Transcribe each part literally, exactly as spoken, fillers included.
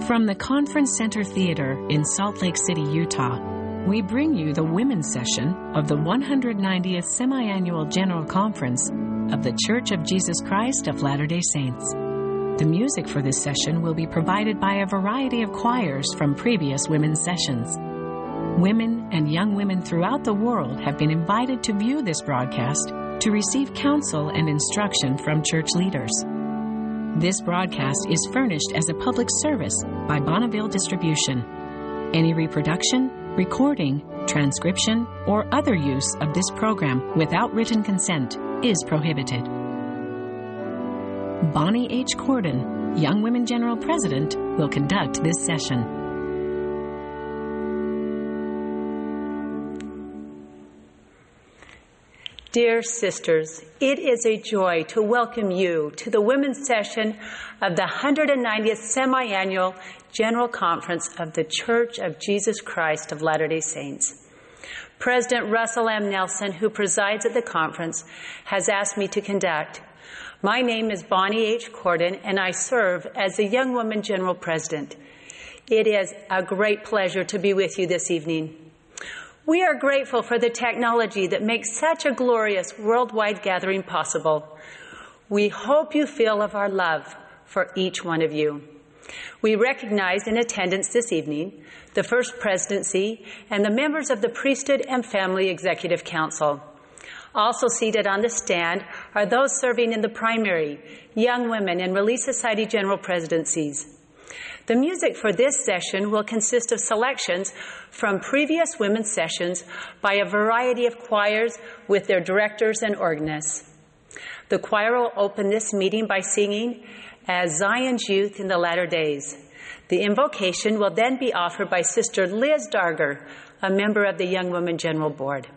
From the Conference Center Theater in Salt Lake City, Utah, we bring you the women's session of the one hundred ninetieth Semiannual General Conference of The Church of Jesus Christ of Latter-day Saints. The music for this session will be provided by a variety of choirs from previous women's sessions. Women and young women throughout the world have been invited to view this broadcast to receive counsel and instruction from church leaders. This broadcast is furnished as a public service by Bonneville Distribution. Any reproduction, recording, transcription, or other use of this program without written consent is prohibited. Bonnie H. Cordon, Young Women General President, will conduct this session. Dear sisters, it is a joy to welcome you to the women's session of the hundred ninetieth Semiannual General Conference of The Church of Jesus Christ of Latter-day Saints. President Russell M. Nelson, who presides at the conference, has asked me to conduct. My name is Bonnie H. Cordon, and I serve as the Young Women General President. It is a great pleasure to be with you this evening. We are grateful for the technology that makes such a glorious worldwide gathering possible. We hope you feel of our love for each one of you. We recognize in attendance this evening the First Presidency and the members of the Priesthood and Family Executive Council. Also seated on the stand are those serving in the primary, young women, and Relief Society general presidencies. The music for this session will consist of selections from previous women's sessions by a variety of choirs with their directors and organists. The choir will open this meeting by singing As Zion's Youth in the Latter Days. The invocation will then be offered by Sister Liz Darger, a member of the Young Women General Board.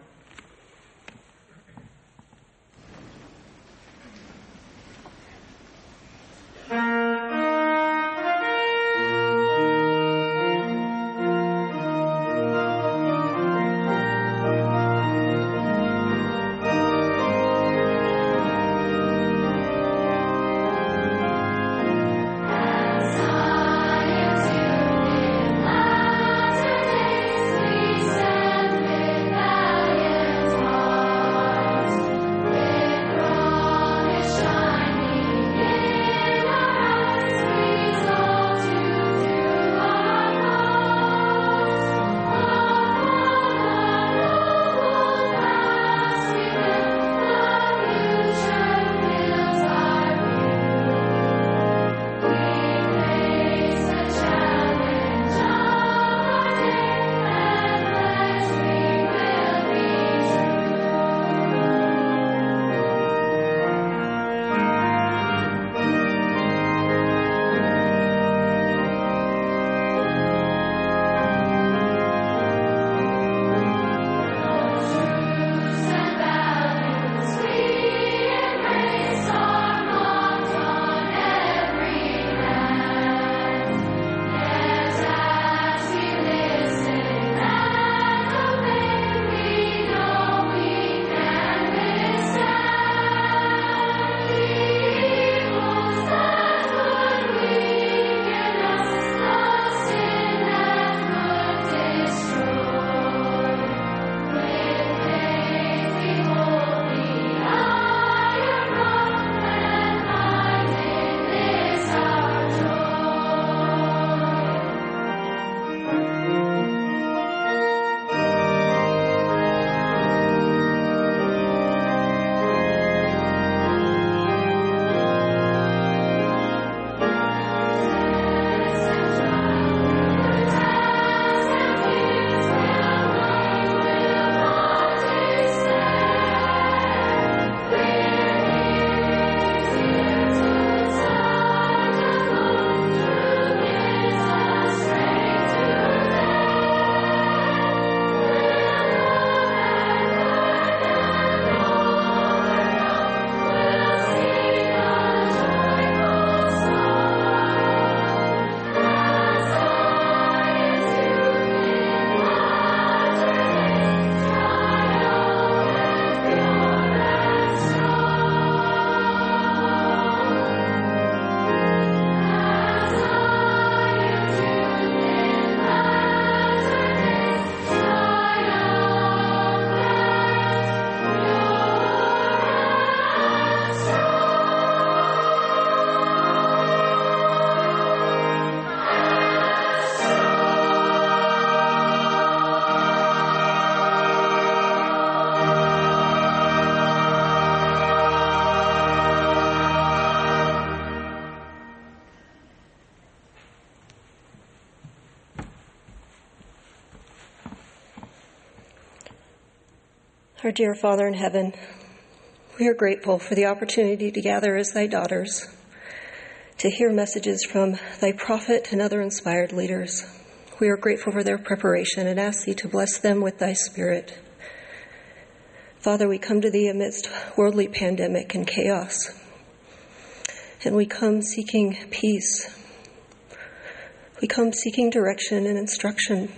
Our dear Father in heaven, we are grateful for the opportunity to gather as thy daughters, to hear messages from thy prophet and other inspired leaders. We are grateful for their preparation and ask thee to bless them with thy Spirit. Father, we come to thee amidst worldly pandemic and chaos, and we come seeking peace. We come seeking direction and instruction,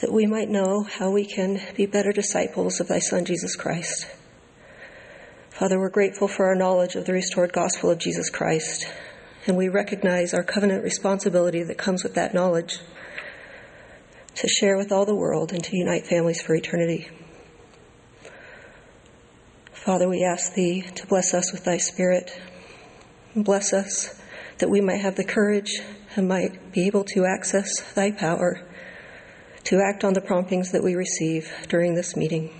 that we might know how we can be better disciples of thy Son, Jesus Christ. Father, we're grateful for our knowledge of the restored gospel of Jesus Christ, and we recognize our covenant responsibility that comes with that knowledge to share with all the world and to unite families for eternity. Father, we ask thee to bless us with thy Spirit. Bless us that we might have the courage and might be able to access thy power to act on the promptings that we receive during this meeting.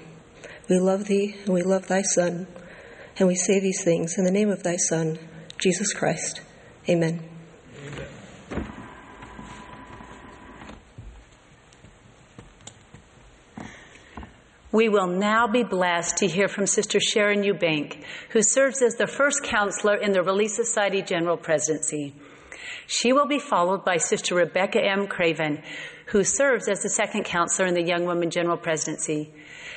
We love thee and we love thy Son, and we say these things in the name of thy Son, Jesus Christ. Amen. We will now be blessed to hear from Sister Sharon Eubank, who serves as the first counselor in the Relief Society General Presidency. She will be followed by Sister Rebecca M. Craven, who serves as the second counselor in the Young Women General Presidency.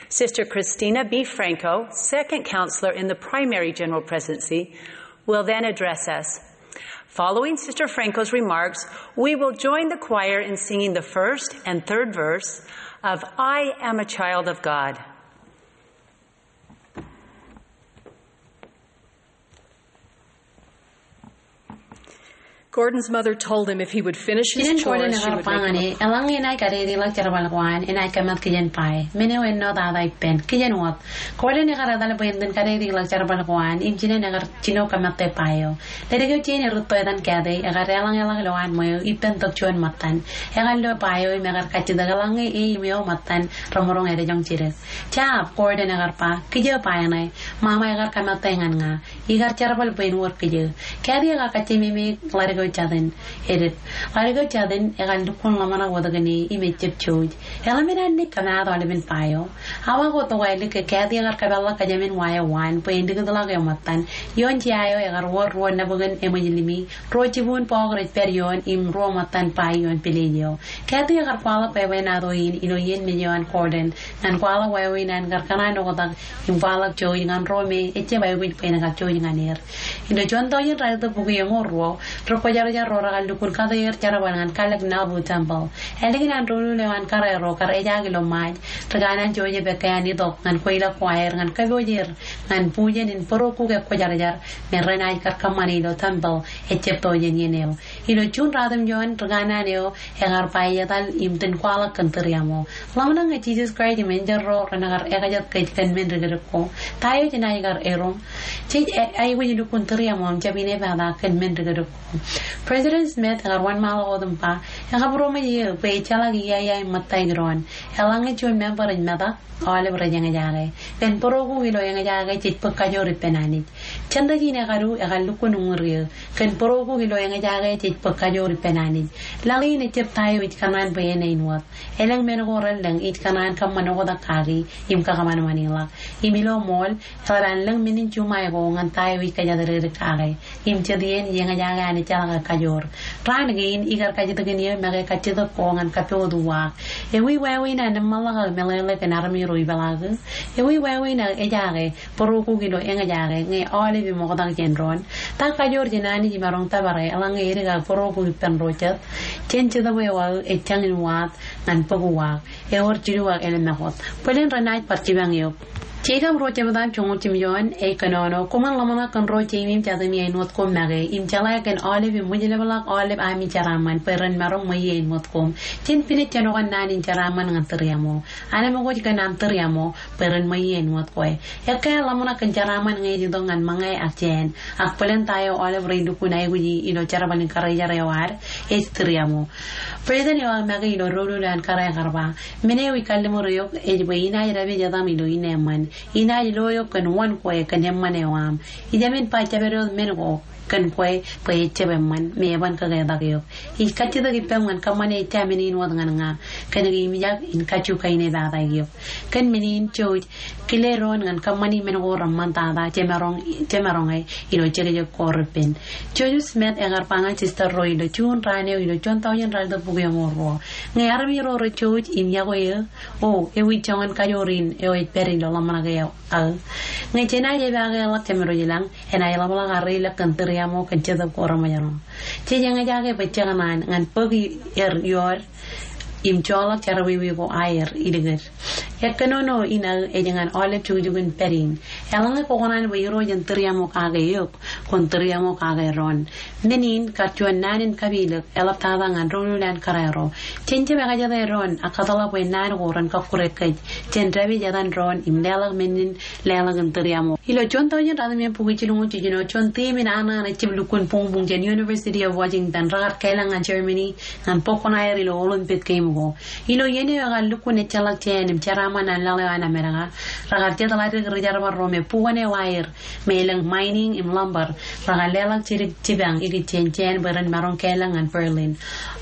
Sister Christina B. Franco, second counselor in the Primary General Presidency, will then address us. Following Sister Franco's remarks, we will join the choir in singing the first and third verse of I Am a Child of God. Gordon's mother told him if he would finish his chores, she would make him a... Kijen Gordon ekar ba ñan e, eḷaññe enaaj kadedeḷọk jerbal ko an, enaaj kōmat kijen bwe. Men eo ennọ tata ippān, kijen wōt. Gordon ekar etal bwe en iten kadedeḷọk jerbal ko an, im jinen ekar jino kōmate bwe eo. Ledik eo jein erūtto etan Kathy, ekar deḷọñeḷọk ilowaan ṃweo ippān tok juon ṃōttan. Ekar lo bwe eo im ekar kajjitōk eḷaññe e im eo ṃōttan remaroñ edjoñ jidik. Jab, Gordon ekar ba, kijo bwe ṇe, ṃaṃa ekar kōmate ñan ña. Ikar jerbal bwe en wōr kijo. Kathy ekar kajjimimi ḷadik eo jatin. Edit. Ḷadik eo jatin, ekar lukkuun ḷōmṇak wōt kōn e im ejjab jouj. Eḷap men an naaj kōmaat aolepen bwe eo. Awa ko tok ālikin Kathy ekar kōpeḷḷọk kōjām in wa eo waan, bwe en likūtḷọk eṃṃan. Ioon jea eo ekar wōr ruo nabōkin eṃōj limi, ruo jibuun bọọk rej pād ioon, im ruo ṃōttan bwe ioon pilej eo. Kathy ekar kwaḷọk bwebwenato in ilo iien mej eo an Gordon, ñan kwaḷọk wāween an kar kōṇaan oktak, im kwaḷọk jouj ñan ro me ejjab aikuj bwe en kajjouj ñan er. Ilo juon tọujin ralitōk bukwi eñoul ruo, ri-kwōjarjar ro rekar lukkuun kate er jerbal ñan kalōk Nauvoo Temple. Ālikin an doulul eo an kōrā ro kar ejaak ilo Ṃaaj, ri kanaan Joseph ekkā an itok ñan kweilọk ko aer ñan kōpooj er ñan bujen in bōro kuk ekwōjarjar me renaaj kar kōṃṃane ilo temple ejjab tọujin iien eo. Ilo juon ratimjuon, ri kanaan eo ekar ba ej etal im iten kwaḷọk kōn tūriaṃo. Ḷōmṇak ñe Jisōs Kraist im enjeḷ ro renekar ekajet kōj kōn men dikdik ko. Ta eo jenaaj kar erom? Jej aikuj lukkuun tūriaṃo im jab inepata kōn men dikdik ko. President Smith ekar wōnṃaanḷọk wōt im ba, ekabūroṃōj eō bwe ejjeḷọk iiaia im ṃōttaik doon. Eḷaññe juon member ej metak, aolep rej eñjake. Kōn bōro kuk ilo eñjake jej bōk kajoor ippān Anij. Jenta in ekadu ekar lukkuun uñūr eō. Kōn bōro kuk ilo eñjake jej bōk kajoor ippān Anij. Laḷ in ejjab ta eo ij kōṇaan bwe en āinwōt. Elōñ men ko relōñ ij kōṇaan kōṃṃan oktak kaki im kakōṃanṃan ḷọk. Im ilo ṃool, eḷap an lōñ men in juṃae ko ñan ta eo ij kōjatdikdik kake. Im jet iien eñjake an ejjeḷọk kajoor. Raan kein ikar kajjitōkin eō make kajjitōk ko ñan kappukot uwaak. Ewi wāween an eṃṃanḷọk aō meḷeḷe kōn armej ro ipeḷaak? Ewi wāween aō ejaake bōro kuk ilo eñjake ñe aolep im oktak jān doon? Ta kajoor jān Anij imaroñ tōpare eḷaññe edik aō bōro kuk ippān ro jet? Jān Jetōb eo aō ej jañin waat ñan bōk uwaak. Ewōr jilu ak elōñ ṃakūt. Bōlen renaaj bar jipañ eok. Jeikōb ruo jebta joñoul jimjuon ej kōnono, koṃwin ḷōmṇak kōn ro jeimi im jatimi āinwōt koṃ make, im jeḷā kōn aolep im ṃwijlepḷọk aolep ami jeraaṃṃan bwe ren maroñ ṃweiie āinwōt koṃ. Jen pinej jenokan naan in jeraaṃṃan ñan tūriaṃo. Anemkwōj kōn aṃ tūriaṃo bwe ren ṃweiie āinwōt kwe. Ekkā ḷōmṇak kōn jeraaṃṃan ñe ej itok ñan ṃōñā ak jāān, ak bōlen ta eo aolep rej lukkuun aikuji ilo jerbal in karijer eo ad, ej tūriaṃo. President eo aō make ilo doulul eo an kōrā ekar ba, men eo ij kalliṃur eok ej bwe inaaj dāpij etaṃ ilo innem ṃan. Inaaj lo eok kōn wōn kwe kōn eṃṃan eo aṃ. Ij jāmin ba jabdewōt men ko kōn kwe bwe ejjab eṃṃan, me eban kaketak eok. Ij kajjitōk ippaṃ ñan kōṃṃane ejja men in wōt ñan ña. kōnke im ejjab in kajju kainepata eok. Kōn men in jouj, kile doon ñan kōṃṃani men ko reṃṃan tata jemaroñ, jemaroñ e ilo jekjek ko repen. Joseph Smith ekar ba ñan sister ro ilo June raan eo ilo juon tọujin ralitōk bukwi eoṃōj ruo. Ñe armej ro rej jouj im yokwe eō, o, ewi joñan kajoor in eo ej pād ilo ḷōmṇak eo aō. Ñe jenaaj epaake ḷọk jemedwōj ilañ, enaaj ḷapḷọk ad reiḷọk kōn tūriaṃo kōn Jetōb ko Reṃōjṇọ. Jej eñjake bwe jekōṇaan ñan bōk er iood im joḷọk jerọwiwi ko aer ilikid. Ekkōnono in aō ej ñan aolep jukjuk in pād in. Eḷaññe kwōkōṇaan bwe Irooj en tūriaṃo kake eok, kwōn tūriaṃo kake doon. Men in kar juon naan in kapilōk eḷaptata ñan doulul an kōrā ro. Jen jab ekajete doon ak kōtḷọk bwe naan ko ren kọkkure kōj. Jen dāpij etan doon im leḷọk men in leḷọk in tūriaṃo. Ilo juon tọujin ratimjuon bukwi jilñuul jiljino, juon tiim in aṇaṇ ejjab lukkuun buñbuñ jān University of Washington rekar kālọk ñan Germany ñan bōk kuṇaer ilo Olympic Game ko. Ilo iien eo ekar lukkuun ejjeḷọk jāān im jeraaṃṃan an laḷ eo an Amerika, rekar jet ḷaddik rijerbal ro me bukwōn eo aer me elōñ mining im lumber, rekar leḷọk jidik jipañ ikijjien jāān bwe ren maroñ kālọk ñan Berlin.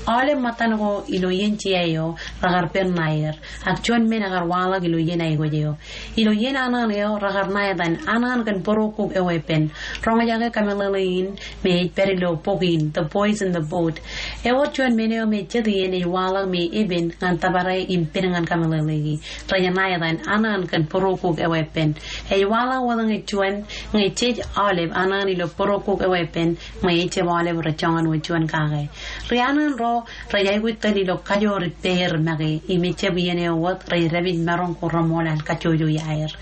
Aolep ṃōttan ko ilo iien jea eo rekar pen ṇaer, ak juon men ekar waḷọk ilo iien aikuj eo. Ilo iien aṇaṇ eo rekar ṇa etan Aṇaṇ kōn Bōrokuk eo Epen. Roñjake kameḷeḷe in me ej pād ilo bok in, The Boys in the Boat. Ewōr juon men eo me jet iien ej waḷọk me epen ñan tōpare im pen ñan kameḷeḷeiki. Rej ṇa etan Aṇaṇ kōn Bōrokuk eo Epen. Ej waḷọk wōt ñe juon, ñe jej aolep aṇaṇ ilo Bōrokuk eo Epen, me ejjab aolep rej joñan wōt juon kake. Ri aṇaṇ ro rej aikuj tōl ilo kajoor ippāer make, im ejjab iien eo wōt rej dāpij maroñ ko reṃool an kajjojo iaer.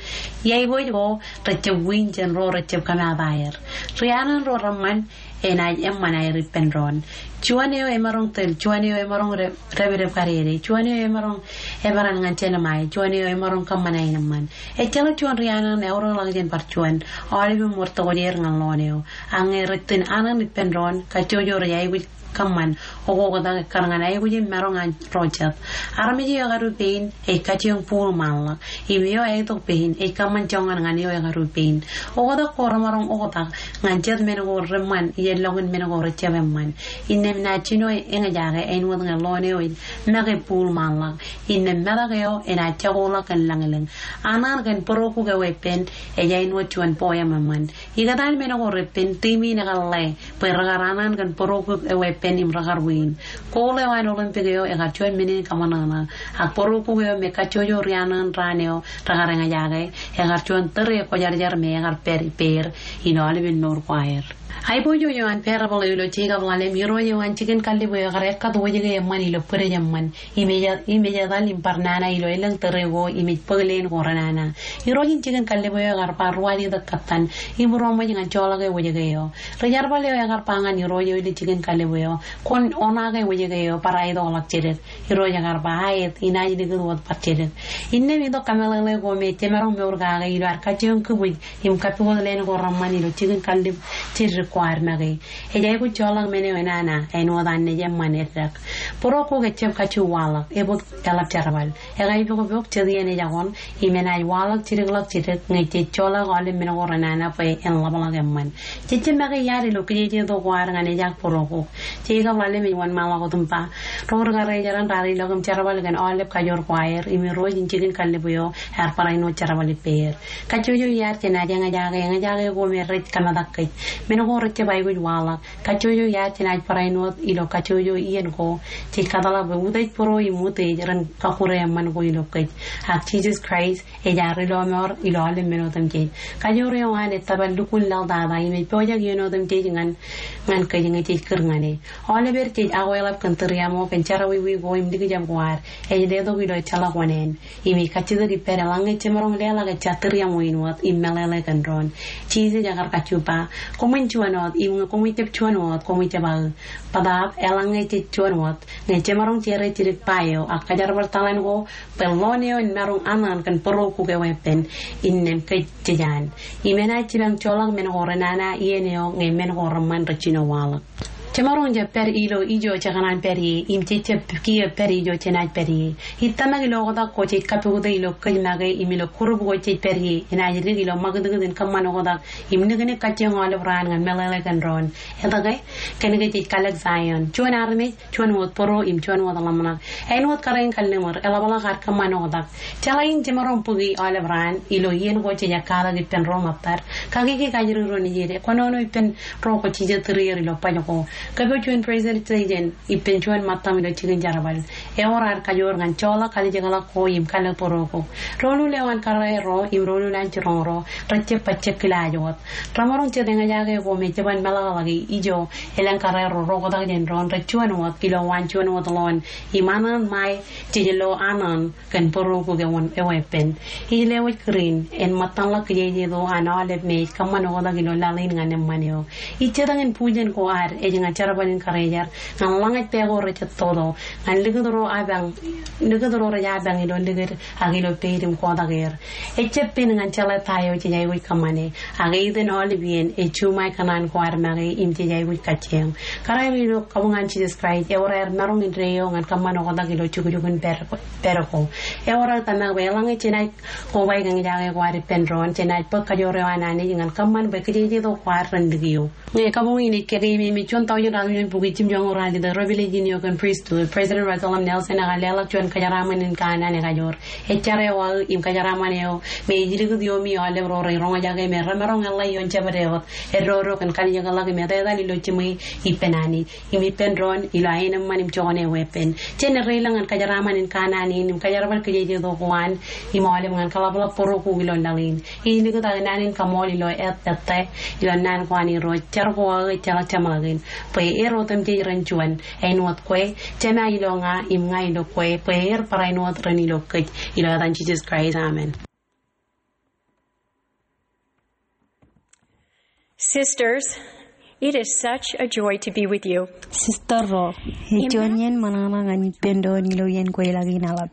Iaikuj ko rejjab wiin jān ro rejjab kōmaat aer. Ri aṇaṇ ro reṃṃan enaaj eṃṃan aer ippān doon. Juon eo emaroñ tōl, juon eo emaroñ re-, dāpdep kadede, juon eo emaroñ eperan ñan jelṃae, juon eo emaroñ kōṃṃan aenōṃṃan. Ejjeḷọk juon ri aṇaṇ eaorōkḷọk jān bar juon, aolep im wōr tokjāer ñan ḷoon eo. Ak ñe rej tōl aṇaṇ ippān doon, kajjojo rej aikuj kōṃṃan okoktak ekkar ñan aikuj im maroñ an ro jet. Armej eo ekadu pein ej kajjioñ būḷ ṃaanḷọk. Im eo āinwōt pein ej kōṃṃan joñan ñan eo ekadu pein. Oktak ko remaroñ oktak ñan jet men ko reṃṃan iien ḷọk in men ko rejjab eṃṃan. Innām naaj jino eñjake āinwōt ñe ḷoon eo ej make būḷ ṃaanḷọk. Innām metak eo enaaj jakoḷọk kōn lañlōñ. Aṇaṇ kōn Bōrokuk eo Epen ej āinwōt juon poem eṃṃan. Ikōtaan men ko repen, tiim in ekar ḷe bwe rekar aṇaṇ kōn Bōrokuk eo Epen im rekar wiin. Gold eo an Olympic eo ekar juon men in kōṃōṇōṇō. Ak Bōrokuk eo me kajjojo ri aṇaṇ raan eo rekar eñjake, ekar juon tōre kwōjarjar me ekar pād ippāer in aolepen mour ko aer. Aiboojoj eo an parable eo ilo Jekob ḷalem, irooj eo an jikin kallib eo ekar ekkat wōjke eṃṃan ilo bwidej eṃṃan. Im ej, im ej etal im bar nana ilo elōñ tōre ko im ej bōk leen ko renana. Irooj in jikin kallib eo ekar ba ruwaajtok kōttan im ruwamwaj ñan joḷọk e wōjke eo. Ri jerbal eo ekar ba ñan irooj eo ilo jikin kallib eo, kwōn oṇaake wōjke eo bar aetokḷọk jidik. Irooj ekar ba, aet, inaaj likūt wōt bar jidik. Innām itok kameḷeḷe ko me jemaroñ mour kake ilo ad kajjioñ kibwij im kappukot leen ko reṃṃan ilo jikin kallib jiddik ko ad make. Ej aikuj joḷọk men eo enana āinwōt an naaj eṃṃan eddek. Bōrokuk ejjab kajju waḷọk, ebōk eḷap jerbal. Ekaipokpok jet iien ej akoṇ, im enaaj waḷọk jidikḷọk jidik ñe jej joḷọk aolep men ko renana bwe en ḷapḷọk eṃṃan. Jejjab make iaad ilo kijejeto ko ad ñan ejaak Bōrokuk. Jekob ḷalem ej wōnṃaanḷọk wōt im ba, ro ri karejeran raar ilọk im jerbal kōn aolep kajoor ko aer, im irooj in jikin kallib eo ear barāinwōt jerbal ippāer. Kajjojo iaad jenaaj eñjake, eñjake ko me rej kōmetak kōj. Men ko rejjab aikuj waḷọk. Kajjojo iaad jenaaj barāinwōt ilo kajjojo iien ko. Jej kōtḷọk bwe utiej būro im utiej ren kọkkure eṃṃan ko ilo kōj. Ak Jisōs Kraist ej ad ri lọmọọr ilo aolep men otemjej. Kajoor eo an ej tōpar lukkuun laḷ tata im ej pojak iien otemjej ñan, ñan kōj ñe jej kūr ñan e. Aoleper jej akweḷap kōn tūriaṃo kōn jerọwiwi ko im likjab ko ad. Ej letok ilo ejjeḷọk oṇāān. Im ej kajjitōk ippād eḷaññe jemaroñ leḷọk ejja tūriaṃo in wōt im meḷeḷe kōn doon. Jisōs ekar kajju ba, koṃwin juon wōt, im ñe koṃij jab juon wōt, koṃij jab aō. Bōtaab, eḷaññe jej juon wōt, ñe jemaroñ jere jidik ba eo, ak kajerbal taḷan ko, bwe ḷoon eo en maroñ aṇaṇ kōn Bōrokuk eo Epen, innām kōj jej an. Im enaaj jipañ joḷọk men ko renana iien eo ñe men ko reṃṃan rej jino waḷọk. Jemaroñ jab pād ilo ijo jekōṇaan pād ie, im jej jab kiiō pād ijo jenaaj pād ie. Ij tōmak ilo oktak ko jej kappukot ilo kōj make im ilo group ko jej pād ie, enaaj dik ilo ṃakūtkūt in kōṃṃan oktak im niknik kajjioñ aolep raan ñan meḷeḷe kōn doon. Etke? Kōnke jej kalōk Zion. Juon armej, juon wōt bōro im juon wōt ḷōmṇak. Āinwōt kōrā in kalliṃur, eḷapḷọk ad kōṃṃan oktak. Jeḷā in jemaroñ bōki aolep raan ilo iien ko jej ekkatak ippān ro ṃōttad. Kakiki kajjirōk ro nejid, kōnono ippān ro kwōj jijet tūrier ilo baj ko. Kōpooj juon presentation ippān juon ṃōttam ilo jikin jerbal. Ewōr ad kajoor ñan joḷọk kalijekḷọk ko im kalōk bōro ko. Doulul eo an kōrā ro im doulul an jiroñ ro rej jab bajjek kilaaj wōt. Remaroñ jet eñjake ko me jeban meḷọkḷọki ijo elōñ kōrā ro rej oktak jān doon rej juon wōt ilo waan juon wōt ḷoon im anōn ṃae jej lo anōn kōn bōro ko ewōr eweeppān. Ij lewōj kūr in en ṃōttanḷọk kijejeto an aolep me ej kōṃṃan oktak ilo laḷ in ñan eṃṃan eo. Ij jitōñ in bujen ko ad ej ñan jerbal in karijer ñan ḷōñaj pā ko rej jet toto ñan likūt ro apañ, likūt ro rej apañ ilo likūt ak ilo peid im kotak er. Ejjab pen ñan jeḷā ta eo jej aikuj kōṃṃane, ak eitan aolep iien ej juṃae kōṇaan ko ad make im jej aikuj kajjioñ. Kōrā ro ilo kabuñ an Jisōs Kraist, ewōr aer maroñ indeeo ñan kōṃṃan oktak ilo jukjuk in pād, pād ko. Ewōr aō tōmak bwe eḷaññe jenaaj kobaik eñjake ko ad ippān doon, jenaaj bōk kajoor eo an Anij ñan kōṃṃan bwe kijejeto ko ad ren likio. Ñe kabuñ in ej kōkeememej juon taujin ruatimjuon bukwi jimjuonñoul ralitōk Revelation eo kōn Priesthood, President Russell M. Nelson ekar leḷọk juon kōjeraaṃṃan in kanaan ekajoor. Ej jar eo aō im kōjeraaṃṃan eo me ej likūt ioomi aolep ro rej roñjake me remaroñ eḷḷā ioon jebede wōt, eddodo kōn kalijekḷọk im etetal ilo jiṃwe ippān Anij im ippān doon ilo aenōṃṃan im joñan eweeppān. Jen reilañ ñan kōjeraaṃṃan in kanaan in im kōjerbal kijejeto ko an im aolep ñan kaḷapḷọk bōro ko ilo laḷ in. Ij likūt aō naan in kaṃool ilo āt ettā ilo naan ko an Irooj, jar ko aō ejjeḷọk jeṃḷọkin. Bwe er otemjej ren juon, āinwōt kwe, Jema ilo ña, im ña ilo kwe, bwe er barāinwōt ren ilo kōj, ilo etan Jisōs Kraist, amen. Sisters, it is such a joy to be with you. Sister ro, ej juon iien ṃōṇōṇō ñan ippān doon ilo iien kweilọk in aḷap.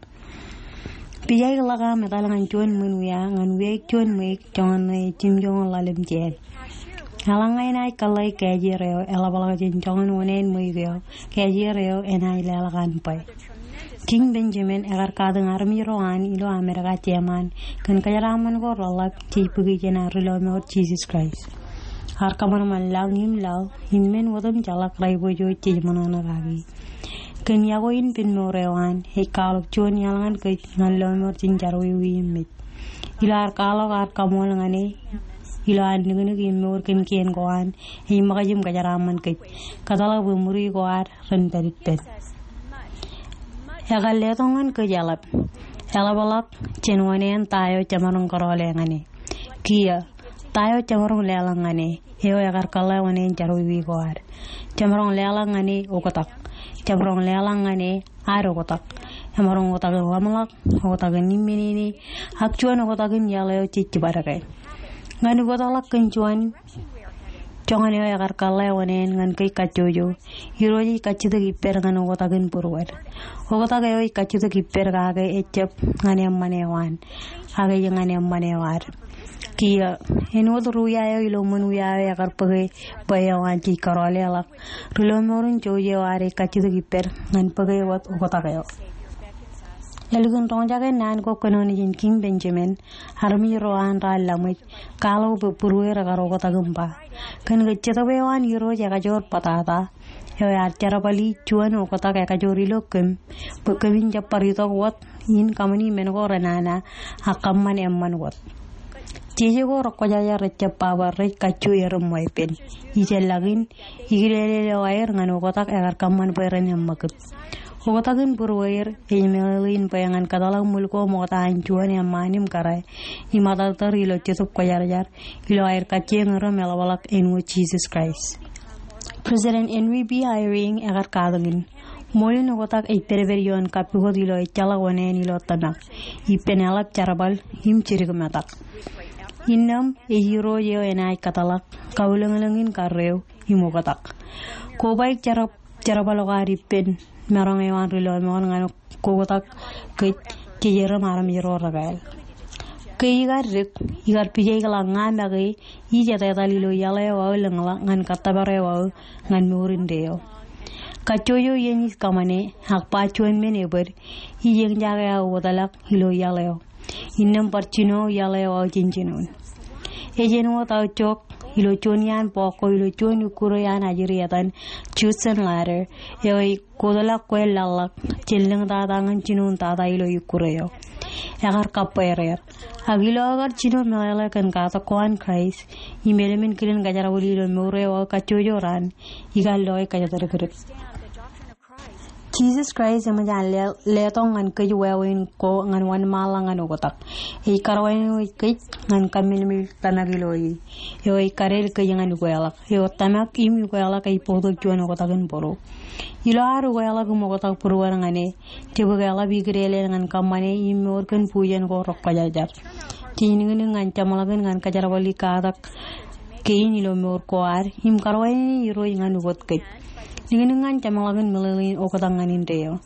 Pija ḷọk aṃ etal ñan juon ṃwin wia ñan wiaik juon ṃweiuk joñan ṇe jimjuonñoul ḷalem jān. Eḷaññe enaaj kōḷḷāik kājier eo eḷapḷọk jān joñan oṇāān ṃweiuk eo, kājier eo enaaj leḷọk an bwe King Benjamin ekar katakin armej ro an ilo Amerika Jeman kōn kōjeraaṃṃan ko reḷap jej bōki jān ad ri lọmọọr Jisōs Kraist. Ear kōṃanṃan laḷ im laḷ im men otemjeḷọk rej bwe jej ṃōṇōṇō kaki. Kōn iọkwe in pen mour eo an, ej kwaḷọk juon iaḷ ñan kōj ñan lọmọọr jān jerọwiwi im mej. Ilo ad kwaḷọk ad kaṃool ñan e, ilo an niknik im mour kōn kien ko an, ej ṃōkaj im kōjeraaṃṃan kōj. Kōtḷọk bwe ṃuri ko ad ren pād ippān. Ekar letok ñan kōj eḷap. Eḷapḷọk jān oṇāān ta eo jemaroñ kōrọọle ñan e. Kiiō, ta eo jemaroñ leḷọk ñan e, eo ekar kōḷḷā oṇāān jerọwiwi ko ad. Jemaroñ leḷọk ñan e oktak. Jemaroñ leḷọk ñan e ad oktak. Emaroñ oktakin ḷōmṇak, oktakin imminene, ak juon oktakin iaḷ eo jej jibadeke. Ñan ukōtḷọk kōn juon joñan eo ekar kōḷḷā oṇāān ñan kōj kajjojo, Irooj ej kajjitōk ippād ñan oktakin būruod. Oktak eo ej kajjitōk ippād kake ejjab ñan eṃṃan eo an, ak ej ñan eṃṃan eo ad. Kiiō, āinwōt ri wia eo ilo ṃwin wia eo ekar bōke bwe eo an jej kōrọọle ḷọk, ri lọmọọr in jouj eo ad ej kajjitōk ippād ñan bōke wōt oktak eo. Ālikin roñjake naan ko kōnono jān King Benjamin, armej ro an raar laṃōj, kwaḷọk bwe būrueir ekar oktak im ba, kōn ke Jetōb eo an Irooj ekajoor bōtata, eo ear jerbali juon oktak ekajoor ilo kōm, bwe kōmin jab bar itok wōt in kaṃṃani men ko renana, ak kōṃṃan eṃṃan wōt. Jeje ko rekwōjarjar rejjab ba bwe rej kajju erom weeppān. Ijellọkin, ikilelel eo aer ñan oktak ekar kōṃṃan bwe ren eṃṃakūt. Oktak in būrueir ej meḷeḷe in bwe ñan kōtḷọk ṃwil ko ṃokta an juon eṃṃaan im kōrā, im atartar ilo Jetōb Kwōjarjar, ilo aer kajjioñ erom eḷapḷọk āinwōt Jisōs Kraist. President Henry B. Eyring ekar katakin, ṃool in oktak ej pedped ioon kappukot ilo ejjeḷọk oṇāān ilo tōmak, ippān eḷap jerbal im jidik metak. Innām ej Irooj eo enaaj kōtḷọk, kaulōñlōñ in karreo, im oktak. Kobaik jerab-, jerbal ko ad ippān maroñ eo an ri lọmọọr ñan koktak kōj jej erom armej ro rekāāl. Ke ikar dik, ikar pijaik ḷọk ña make ij etetal ilo iaḷ eo aō lōñḷọk ñan kōttōpar eo aō ñan mour indeeo. Kajjojo iien ij kōṃṃane ak ba juon men ebōd, ij eñjake aō wōtlọk ilo iaḷ eo. Innām bar jino iaḷ eo aō jān jinoin. Ej āinwōt aō jok ilo juon iaan bok ko ilo juon ikkure an ajri etan Judson Ladder, eo ej kōtḷọk kwe laḷḷọk jān lōñ tata ñan jinoin tata ilo ikkure eo. Ekar kabbweer er. Ak ilo aō kar jino meḷeḷe kōn katak ko an Kraist im eḷmen kilen kōjerbali ilo mour eo aō kajjojo raan, ikar lo ej kōjatdikdik. Jisōs Kraist eṃōj an le-, letok ñan kōj wāween ko ñan wōnṃaanḷọk ñan oktak. Ej karuwainene kōj ñan kaṃṃoolol tōmak ilo e. Eo ej kadeel kōj ñan ukeḷọk. Eo tōmak im ukeḷọk ej bōktok juon oktak in būruō. Ilo ad ukeḷọk im oktak būruod ñan e, jab eḷap ikōṇaan ñan kōṃṃane im mour kōn bujen ko rekwōjarjar. Jej niknik ñan jeṃḷọkin ñan kōjerbali katak kein ilo mour ko ad, im karuwainene Irooj ñan ukōt kōj. Niknik ñan jeṃḷọkin meḷeḷein oktak ñan indeeo.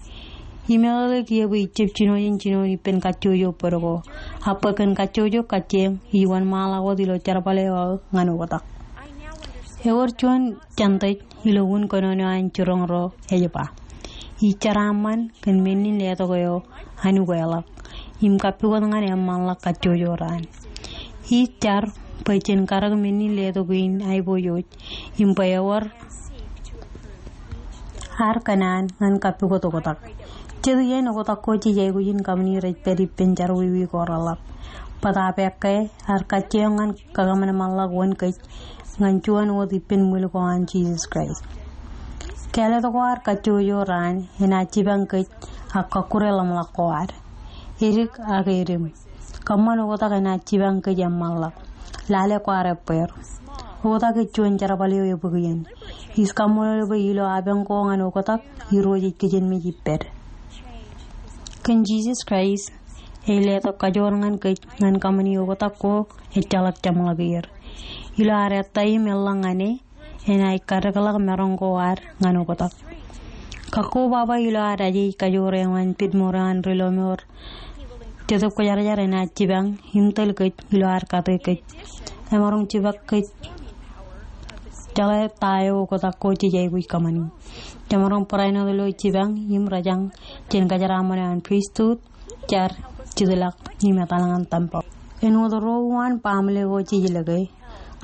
Im eḷaññe kiiō bwe ij jab jino jān jinoin ippān kajjojo bōd ko, ak bwe kōn kajjojo kajjieñ ij wōnṃaanḷọk wōt ilo jerbal eo aō ñan oktak. Ewōr juon Jentail ilo un kōnono an jiroñ ro ej ba, ij jeraaṃṃan kōn men in letok eo an ukeḷọk im kappukot ñan eṃṃanḷọk kajjojo raan. Ij jar bwe jen karōk men in letok in aiboojoj im bwe ewōr ad kōṇaan ñan kappukot oktak. Jet iien oktak ko jej aikuj in kaṃṃani rej pād ippān jerọwiwi ko reḷap. Bōtaab ekkā ad kajjieñ ñan kakōṃanṃanḷọk wōn kōj ñan juon wōt ippān ṃwil ko an Jisōs Kraist. Kāālōt ko ad kajjojo raan enaaj jipañ kōj ak kọkkure ḷōmṇak ko ad. Edik ak edim. Kōṃṃan oktak enaaj jipañ kōj eṃṃanḷọk. Lale kwaar ebbeer. Oktak ej juon jerbal eo ebōk iien. Ij kaṃṃoolol bwe ilo apañ ko ñan oktak, Irooj ej kijenmej ippād. Kōn Jisōs Kraist ej letok kajoor ñan kōj ñan kaṃṃani oktak ko ejjeḷọk jeṃḷọk er. Ilo ad ettā im eḷḷọk ñan e, enaaj kadekḷọk maroñ ko ad ñan oktak. Kakkobaba ilo ad aje ej kajoor eo an pit mour eo an ri lọmọọr Jetōb Kwōjarjar enaaj jipañ im tōl kōj ilo ad kate kōj. Emaroñ jipañ kōj jeḷā ta eo oktak ko jej aikuj kōṃṃani. Jemaroñ barāinwōt ilo jipañ im rōjañ jān kōjeraaṃṃan eo an pristut, jar, jitḷọk im etal ñan tempeḷ. Āinwōt ro uwaan baaṃle ko jej lōke,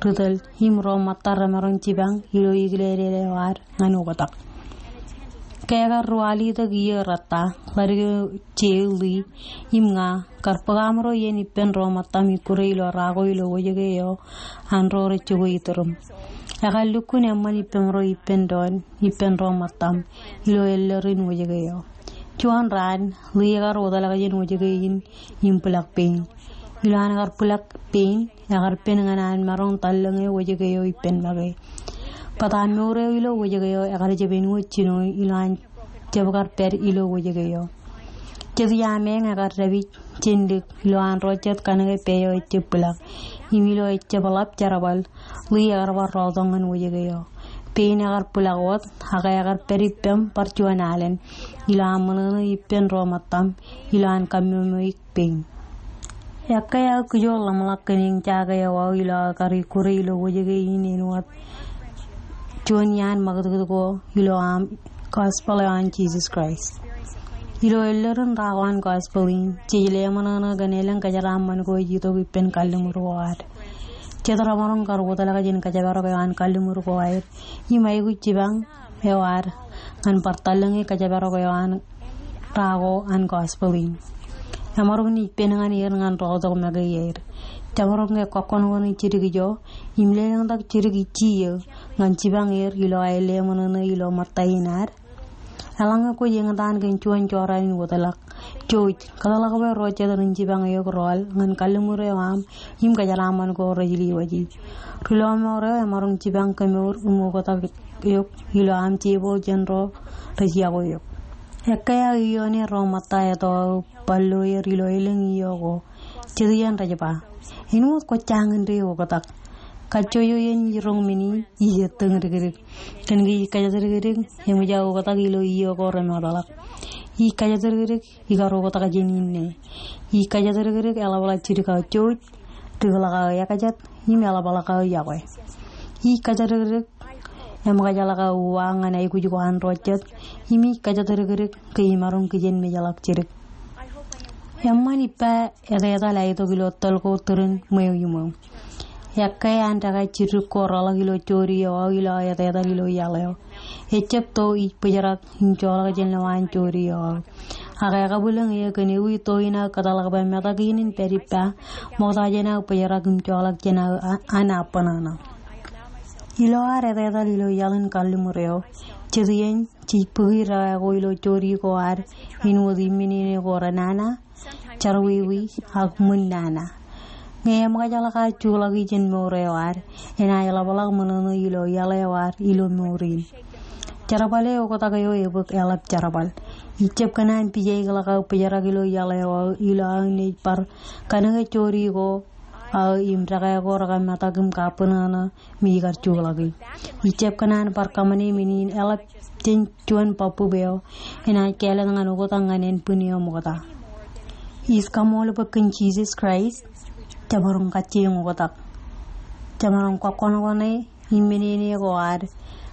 ri tōl im ro ṃōtta remaroñ jipañ ilo ikilel eo ad ñan oktak. Ke ekar ruwalitōk iiō rōtta, ḷadik eo Jay, Lee im ña kar bōk aṃro iien ippān ro ṃōttaṃ ikkure ilo ra ko ilo wōjke eo an ro rej jokwe iturūṃ. Ekar lukkuun eṃṃan ippaṃro ippān doon ippān ro ṃōttaṃ ilo elōrin wōjke eo. Juon raan, Lee ekar wōtlọk jān wōjke in im bwilọk pein. Ilo an kar bwilọk pein, ekar pen ñan an maroñ tallōñe wōjke eo ippān make. Bōtab mour eo ilo wōjke eo ekar jab āinwōt jinoin ilo an jab kar pād ilo wōjke eo. Jet iaameeñ ekar dāpij jān dik ilo an ro jet kanōke pā eo ejjab bwilọk. Im ilo ejjab ḷap jerbal, Lee ekar bar rọọltok ñan wōjke eo. Pein ekar bwilọk wōt, ak ekar pād ippaṃ bar juon alen ilo aṃ ṃōṇōṇō ippān ro ṃōttaṃ ilo an kammwemwei pein. Ekkā aō kijoor ḷōmṇak kōn eñjake eo aō ilo aō kar ikkure ilo wōjke in āinwōt juon iaan ṃakūtkūt ko ilo aṃ gospel eo an Jisōs Kraist. Ilo elōrin ra ko an gospel in, jej leṃōṇōṇō kōn elōñ kōjeraaṃṃan ko ej itok ippān kalliṃur ko ad. Jet remaroñ kar wōtlọk jān kōjparok eo an kalliṃur ko aer im aikuj jipañ eo ad ñan bar tallōñe kōjparok eo an ra ko an gospel in. Emaroñ naaj pen ñan er ñan rọọltok make iaer. Jemaroñ ke kọkkọṇkọṇi jidik ijo im lelōñtak jidik ijjiiō ñan jipañ er ilo aer leṃōṇōṇō ilo ṃōtta in ad. Eḷaññe kwōj eñtaan kōn juon jorrāān in wōtlọk, jouj, kōtḷọk bwe ro jet ren jipañ eok rọọl ñan kalliṃur eo aṃ im kōjeraaṃṃan ko rej lewōji. Ri lọmọọr eo emaroñ jipañ kōmour im oktak eok ilo aṃ tebōḷ jān ro rej yokwe eok. Ekkā aō iioone ro ṃōtta eto aō bar lo er ilo elōñ iiō ko. Jet iien rej ba, āinwōt kwōj jañin de oktak. Kajjojo iien ij roñ men in, ij ettōñ dikdik. Kōn ke ij kōjatdikdik, eṃōj aō oktak ilo iiō ko remootḷọk. Ij kajatdikdik ikar oktak jān inne. Ij kajatdikdik eḷapḷọk jidik aō jouj, dikḷọk aō ekajet, im eḷapḷọk aō yokwe. Ij kajatdikdik eṃōkajḷọk aō uwaak ñan aikuj ko an ro jet, im ij kajatdikdik ke imaroñ kijenmejḷọk jidik. Eṃṃan ippa etetal aetok ilo tōl ko tūrin ṃweo iṃweo. Ekkā an dekā jidik ko reḷọk ilo jodi eo aō ilo aō etetal ilo iaḷ eo. Ejab to ij bōjrak im joḷọk jān lowaan jodi eo aō. Ak ekabwilōñ eō kōn ewi to in aō kōtḷọk bwe metak in in pād ippa, ṃokta jān aō bōjrak im joḷọk jān aō a-, an abṇōṇō. Ilo ad etetal ilo iaḷ in kalliṃur eo, jet iien jej bōki dekā ko ilo jodi ko ad, āinwōt im men in eo ko renana, jerọwiwi, ak ṃwin nana. Ñe eṃōkajḷọk ad juḷọki jān mour eo ad, enaaj ḷapḷọk ṃōṇōṇō ilo iaḷ eo ad ilo mour in. Jerbal eo oktak eo ebōk eḷap jerbal. Ijab kōṇaan pijaikḷọk aō bōjrak ilo iaḷ eo aō ilo aō naaj bar kanōke jodi ko aō im dekā ko rekar metak im kabṇōṇō me ikar juḷọki. Ijab kōṇaan bar kaṃṃane men in eḷap jān juon bōbbup eo enaaj kāālōt ñan oktak ñan ānbwin eo ṃokta. Ij kaṃṃoolol bwe kōn Jisōs Kraist, jemaroñ kajjioñ oktak. Jemaroñ kọkkọṇkọṇe im men in eo ko ad,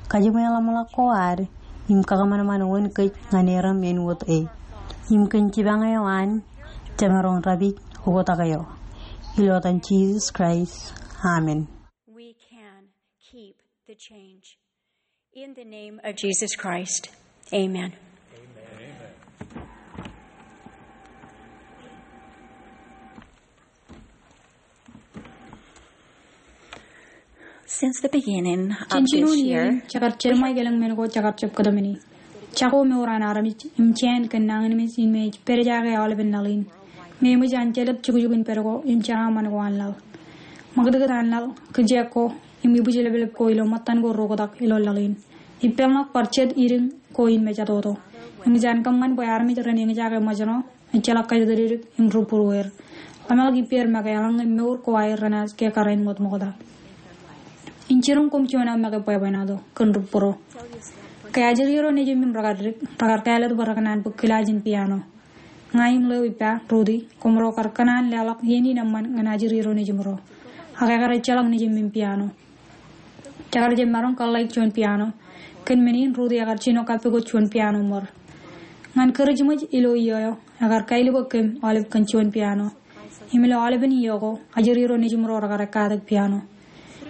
kajiṃwe ḷōmṇak ko ad, im kakōṃanṃan wōn kōj ñan erom āinwōt e. Im kōn jipañ eo an, jemaroñ dāpij oktak eo. Ilo etan Jisōs Kraist. Amen. We can keep the change. In the name of Jesus Christ, amen. Since the beginning of this year, jān jinoin iien in, jekar jeṃḷọk elōñ men ko jekar jab kōtmāne. Jako mour an armej im jāān kōn nañinmej in me ej pād jaake aolepen laḷ in. Ñe eṃōj an jelōt jukjuk in pād ko im jeraaṃṃan ko an laḷ. Ṃakūtkūt an laḷ, kijeek ko, im ibwijleplep ko ilo ṃōttan ko reoktak ilo laḷ in. Ippān ḷọk bar jet idiñ ko in mejatoto. Eṃōj an kōṃṃan bwe armej ren eñjake ṃōjṇọ, ejjeḷọk kajatdikdik im rūbūrueir. Ḷōmṇak ippāer make eḷaññe mour ko aer renaaj kōkare āinwōt ṃokta. In jiroñ koṃ juon aō make bwebwenato kōn rūbūro. Ke ajri ro nejūṃ im rekar dik, rekar kāālōt bwe rekōṇaan bōk kilaaj in piano. Ña im ḷeo ippa, Ruti, koṃro kar kōṇaan leḷọk iien in eṃṃan ñan ajri ro nejūṃro. Ak ekar ejjeḷọk nejūṃ im piano. Jekar jab maroñ kōḷḷāik juon piano. Kōn men in Ruti ekar jino kappukot juon piano ṃor. Ñan kūrijṃōj ilo iiō eo, ekar kailukkuun aolep kōn juon piano. Im ilo aolepen iiō ko, ajri ro nejūṃro rekar ekkatak piano.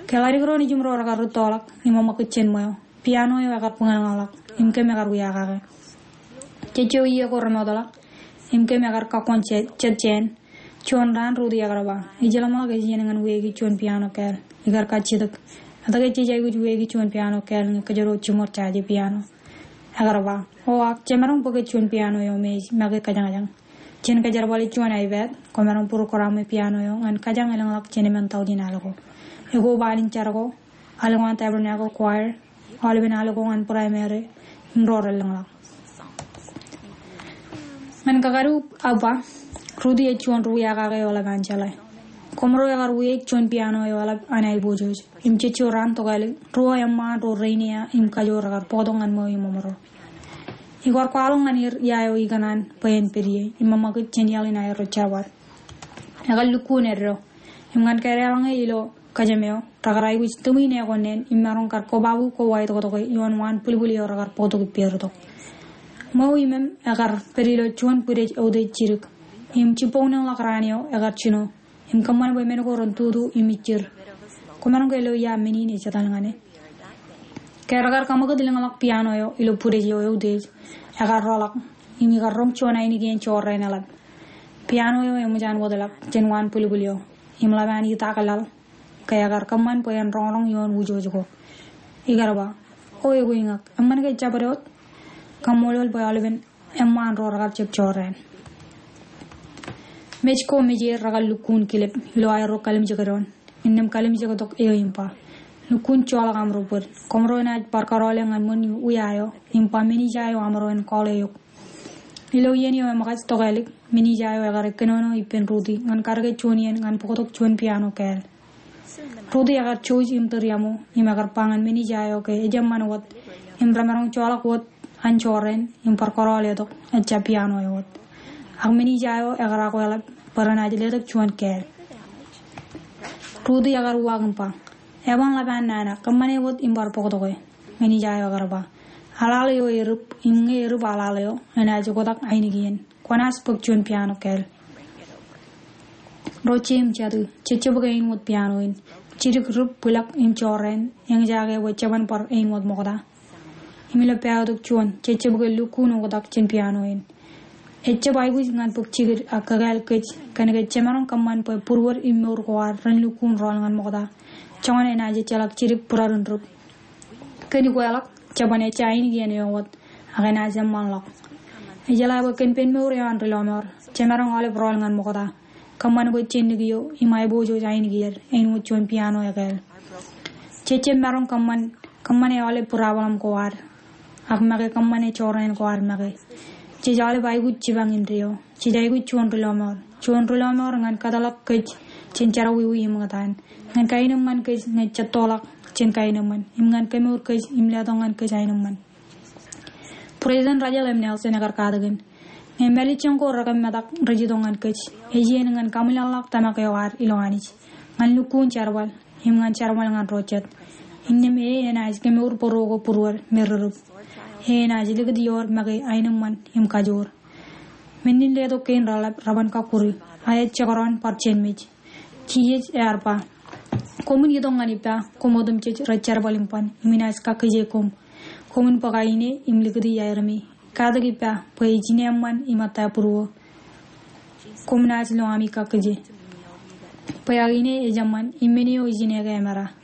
Ke ḷadik ro nejūṃro rekar rūttoḷọk, im eṃōkūt jān ṃweo, piano eo ekar buñalñaḷọk, im kōm ekar wiakake. Jejjo iiō ko remootḷọk, im kōm ekar kakkoṇ je-, jet jāān. Juon raan Ruti ekar ba, ij ḷōmṇak ej iien ñan weiki juon piano kāāl. Ikar kajjitōk. Etke jej aikuj weiki juon piano kāāl ñe kōjro jiṃor jāje piano? Ekar ba, o ak, jemaroñ bōke juon piano eo me ej make kajañjañ. Jen kōjerbale juon iPad, kwōmaroñ program e piano eo ñan kajjañ elōñḷọk jān emān taujin al ko. Ekoba an in jar ko, al ko an Tabernacle Choir, aolepen al ko ñan primary, im ro relōñḷọk. Ñan kakadu aō ba, Ruti ej juon ri wiakake eo eḷap an jeḷā. Koṃro ekar wiaik juon piano eo eḷap an aiboojoj. Im jejjo raan tokālik, ruo eṃṃaan ro rein ia im kajoor rekar bōktok ñan ṃweo iṃōṃro. Ikar kwaḷọk ñan er ia eo ikōṇaan bwe en pād ie, im eṃōkūt jān iaḷ in aerro jerbal. Ekar lukkuun eddo. Im ñan kādeḷọñe ilo kōjām eo, rekar aikuj tūṃwin eo ko neen, im maroñ kar kobabu koba itoktoke ioon waan bwilbwil eo rekar bōktok ippāertok. Ṃweo iṃōṃ ekar pād ilo juon bwidej outej jidik. Im jibboñlōñḷọk raan eo ekar jino. Im kōṃṃan bwe men ko ren tutu im ijjir. Kwōmaroñ ke lo ia men in ej etal ñan e. Ke rekar kaṃakūt lōñḷọk piano eo ilo bwidej eo outej, ekar roḷọk, im ikar roñ juon ainikien jorrāān eḷap. Piano eo eṃōj an wōtlọk jān waan bwilbwil eo, im ḷap an itak laḷ, ke ekar kōṃṃan bwe en roñroñ ioon wūjooj ko. Ikar ba, o ekoiñak, eṃṃan ke jabdewōt? Kaṃṃoolol bwe aolepen eṃṃaan ro rekar jab jorrāān. Mej ko mej er rekar lukkuun kilep ilo aerro kalimjek doon. Innām kalimjek tok eo im ba, lukkuun joḷọk aṃro bōd. Koṃro enaaj bar karoole ñan ṃōn wia eo, im ba men ija eo aṃro en call eok. Ilo iien eo eṃōkaj tokālik, men ija eo ekar kōnono ippān Ruti ñan kadke juon iien ñan bōktok juon piano kāāl. Ruti ekar jouj im tūriaṃo, im ekar ba ñan men ija eo ke ejjab ṃan wōt, im remaroñ joḷọk wōt an jorrāān im bar kōrọọl etok ejja piano eo wōt. Ak men ija eo ekar akweḷap bwe renaaj letok juon kāāl. Ruti ekar uwaak im ba, "Eban ḷap an nana, kōṃṃane wōt im bar bōktoke." Men ija eo ekar ba, "Aḷaḷ eo erūp, im ñe erūp aḷaḷ eo, enaaj oktak ainikien. Kwōnaaj bōk juon piano kāāl." Ro jeiū im jatū, jejjab ke āinwōt piano in. Jidik, rūp, bwilọk im jorrāān eñjake bwe jeban bar āinwōt ṃokta. Im ilo pāātok juon, jejjab ke lukkuun oktak jān piano in. Ejjab aikuj ñan bōk jikid ak kakāāl kōj, kōnke jemaroñ kōṃṃan bwe būruod im mour ko ad ren lukkuun rọọl ñan ṃokta. Joñan enaaj ejjeḷọk jidik būrarin rūp. Kōn ikweḷọk, jeban ejja ainikien eo wōt, ak enaaj eṃṃanḷọk. Ejeḷā bwe kōn pen mour eo an ri lọmọọr, jemaroñ aolep rọọl ñan ṃokta. Kōṃṃan bwe jenndik eo im aiboojoj ainikien, āinwōt juon piano ekāāl. Jejjab maroñ kōṃṃan, kōṃṃane aolep būrabōḷōm ko ad, ak make kōṃṃane jorrāān ko ad make. Jej aolep aikuj jipañ indeeo. Jej aikuj juon ri lọmọọr. Juon ri lọmọọr ñan kōtḷọk kōj jān jerọwiwi im ñūttan. Ñan kaenōṃṃan kōj ñe jettoḷọk jān kaenōṃṃan. Im ñan kemour kōj im letok ñan kōj aenōṃṃan. President Russell M. Nelson ekar katakin, ñe mālejjoñ ko rekōmetak rej itok ñan kōj, ej iien ñan kaṃwilaḷḷọk tōmak eo ad ilo Anij, ñan lukkuun jerbal, im ñan jerbal ñan ro jet. Innām e enaaj kemour bōro ko būruod me rerūp. E enaaj likūt ioer make aenōṃṃan im kajoor. Menin letok kein reḷap reban kakkuri, a ej jekdọọn bar jenmej. Jisōs ear ba, "Koṃwin itok ñan ippa, koṃ otemjej rej jerbal im ban, im inaaj kakkije koṃ. Koṃwin bōk aine im likūti aerōmi. Katak ippa, bwe ij ineeṃṃan im ettā būruō. Koṃ naaj lo ami kakkije. Bwe ak ine ej eṃṃan, im men eo ij ineke emera."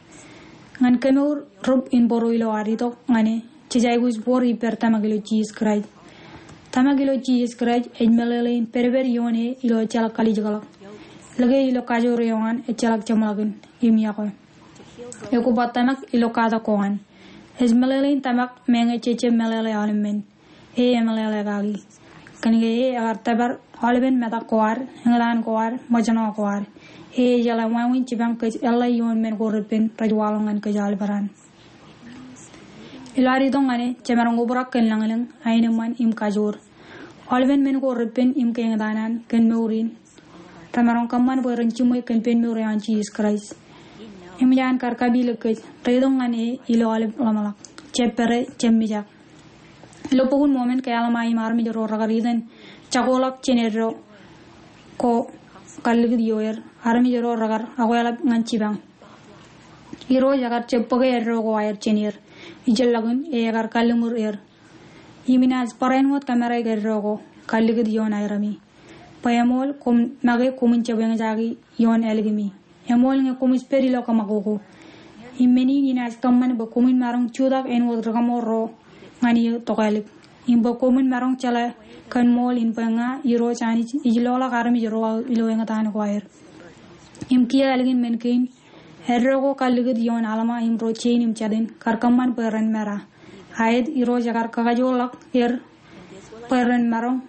Ñan kemour rūp in bōro ilo ad itok ñan e, jej aikuj wōr ippād tōmak ilo Jisōs Kraist. Tōmak ilo Jisōs Kraist ej meḷeḷein pedped ioon e ilo ejjeḷọk kalijekḷọk. Lōke ilo kajoor eo an ejjeḷọk jeṃḷọkin im iọkwe. Ekwe ba tōmak ilo katak ko an. Ej meḷeḷein tōmak meñe jejjab meḷeḷe aolep men. E emeḷeḷe kaki. Kōnke e ekar tōpar aolepen metak ko ad, eñtaan ko ad, ṃōjṇọ ko ad. E ejeḷā wāween jipañ kōj eḷḷā ioon men ko repen rej waḷọk ñan kōj aolepān. Ilo ad itok ñan e, jemaroñ obrak kōn lañlōñ, aenōṃṃan im kajoor. Aolepen men ko repen im ke eñtaan an kōn mour in, remaroñ kōṃṃan bwe ren jiṃwe kōn pen mour eo an Jisōs Kraist. Im ij kar kapilōk kōj, reitok ñan e ilo aolep ḷōmṇak, jab pere, jab mijak. Ilo Bok in Mōmon ke Alma im armej ro rekar itōn jakoḷọk jān eddo ko kallikūt ioer, armej ro rekar akweḷap ñan jipañ. Irooj ekar jab bōke eddo ko aer jān er. Ijellọkin e ekar kalliṃur er. Im inaaj barāinwōt kōmāraik eddo ko kallikūt ioon aerōmi. Bwe eṃool koṃ make koṃwin jab eñjake ioon ālikimi. Eṃool ñe koṃij pād ilo kōṃakoko. Im men in inaaj kōṃṃan bwe koṃwin maroñ jutak āinwōt ri-kōṃro ro ñan iiō tokālik. Im bwe koṃwin maroñ jeḷā kōn ṃool in bwe ña Irooj Anij ij loḷọk armej ro aō ilo eñtaan ko aer. Im kiiō ālikin men kein, eddo ko kallikūt ioon Alma im ro jein im jatin kar kōṃṃan bwe ren mera. Aet Irooj ekar kakajoorḷọk er bwe ren maroñ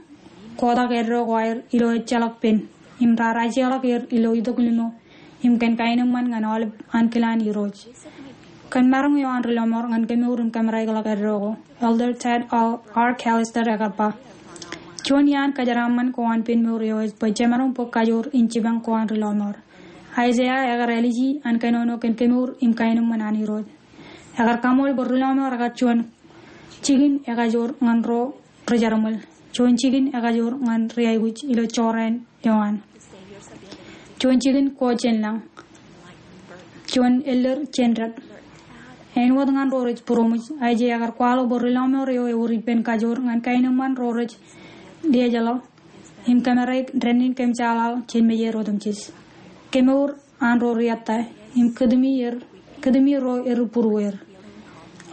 kotak eddo ko aer ilo ejjeḷọk pen, im raar ajeḷọk er ilo itok limo, im kōn kaenōṃṃan ñan aolep ankilaan Irooj. Kōn maroñ eo an ri-lọmọọr ñan kemour im kōmāraikḷọk eddo ko, Elder Ted R. Callister ekar ba, juon iaan kōjeraaṃṃan ko an pen mour eo ej bwe jemaroñ bōk kajoor in jipañ ko an ri-lọmọọr. Aiseia ekar āliji an kōnono kōn kemour im kaenōṃṃan an Irooj. Ekar kaṃool bwe ri-lọmọọr ekar juon jikin ekajoor ñan ro ri-jerbal. Juon jikin ekajoor ñan ri-aikuj ilo jorrāān eo an. Juon jikin ko jān lañ. Juon ellōr jān dāp. Āinwōt ñan ro rej būroṃōj, Aiseia ekar kwaḷọk bwe ri-lọmọọr eo ewōr ippān kajoor ñan kaenōṃṃan ro rej dejeḷọk im kōmāraik dānnin kōmjaaḷaḷ jān mejād otemjej. Kemour an ro ri-ettā, im kūtumi er, kūtumi ro erū būrueir.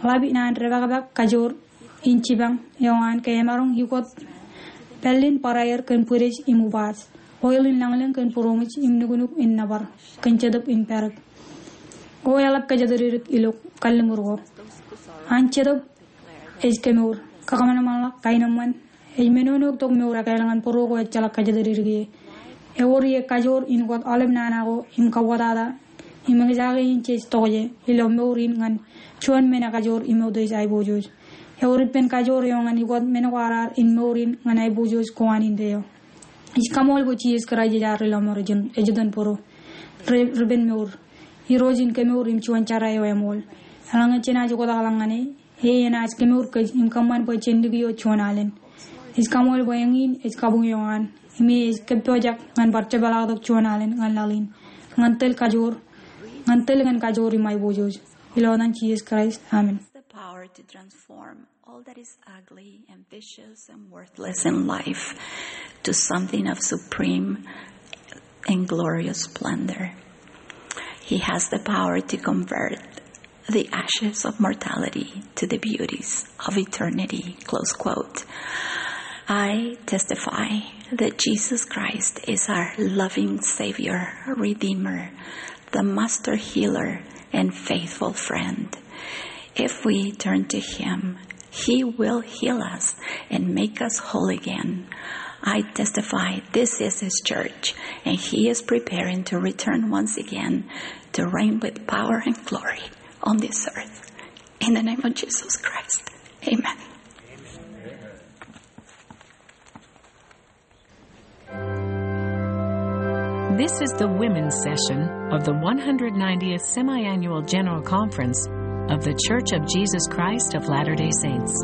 Ḷap naan depakpak kajoor in jipañ eo an ke emaroñ ikot pāllin barāer kōn bwidej im ubaaj. Oil in lañlōñ kōn būroṃōj im nuknuk in nōbar kōn jetōb in pād. O eḷap kōjatdikdik ilo kalliṃur ko. An jetōb ej kemour, kakōṃanṃanḷọk, kaenōṃṃan, ej menono tok mour ekāāl ñan bōro ko ejjeḷọk kōjatdikdik ie. Ewōr ie kajoor in ikot aolep nana ko im kauwōtata im eñjake in jej tokjān ilo mour in ñan juon men ekajoor im eutiej aiboojoj. Ewōr ippān kajoor eo ñan ukōt men ko raar in mour in ñan aiboojoj ko an indeeo. Ij kaṃool bwe Jisōs Kraist ej ad Ri-lọmọọr, ej, ej iten bōro, ri-, ripenmour, Irooj in kemour im juon jera eo eṃool. Eḷaññe jenaaj oktakḷọk ñan e, e enaaj kemour kōj im kōṃṃan bwe jen likio juon alen. Ij kaṃool bwe eñin ej kabuñ eo an, im e ej kōppojak ñan bar jepḷaaktok juon alen ñan laḷ in, ñan tōl kajoor, ñan tōl kōn kajoor im aiboojoj. Ilo etan Jisōs Kraist, amen. The power to transform all that is ugly and vicious and worthless in life to something of supreme and glorious splendor. He has the power to convert the ashes of mortality to the beauties of eternity. Close quote. I testify that Jesus Christ is our loving Savior, Redeemer, the Master Healer, and faithful friend. If we turn to Him, He will heal us and make us whole again. I testify this is His church, and He is preparing to return once again to reign with power and glory on this earth. In the name of Jesus Christ, amen. This is the women's session of the one hundred ninetieth Semiannual General Conference of The Church of Jesus Christ of Latter-day Saints.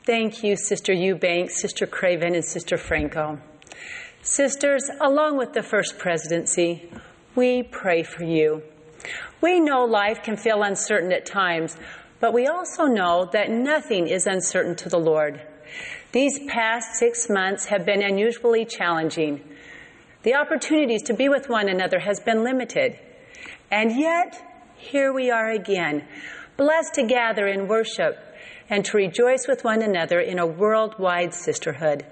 Thank you, Sister Eubanks, Sister Craven, and Sister Franco. Sisters, along with the First Presidency, we pray for you. We know life can feel uncertain at times, but we also know that nothing is uncertain to the Lord. These past six months have been unusually challenging. The opportunities to be with one another has been limited. And yet, here we are again, blessed to gather in worship and to rejoice with one another in a worldwide sisterhood.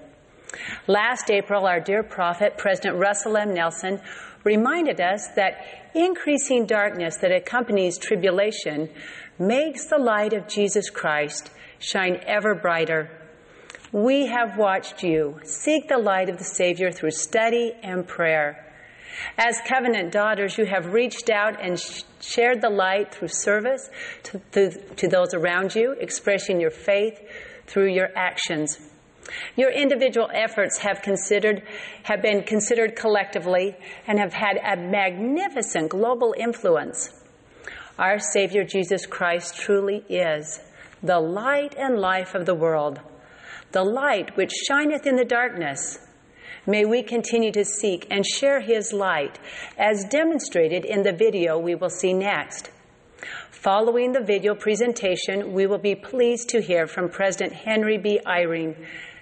Last April, our dear prophet, President Russell M. Nelson, reminded us that increasing darkness that accompanies tribulation makes the light of Jesus Christ shine ever brighter. We have watched you seek the light of the Savior through study and prayer. As covenant daughters, you have reached out and sh- shared the light through service to, to, to those around you, expressing your faith through your actions. Your individual efforts have considered, have been considered collectively and have had a magnificent global influence. Our Savior Jesus Christ truly is the light and life of the world, the light which shineth in the darkness. May we continue to seek and share his light, as demonstrated in the video we will see next. Following the video presentation, we will be pleased to hear from President Henry B. Eyring,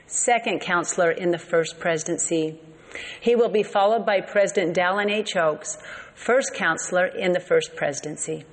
Second Counselor in the First Presidency. He will be followed by President Dallin H. Oaks, First Counselor in the First Presidency.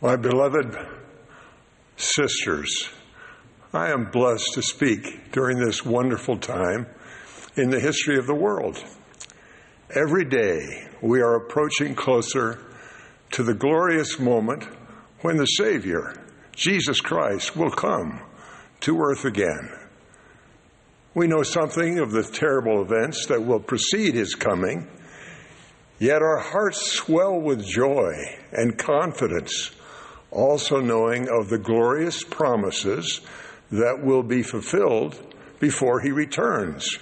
My beloved sisters, I am blessed to speak during this wonderful time in the history of the world. Every day we are approaching closer to the glorious moment when the Savior, Jesus Christ, will come to earth again. We know something of the terrible events that will precede his coming, yet our hearts swell with joy and confidence, also knowing of the glorious promises that will be fulfilled before he returns.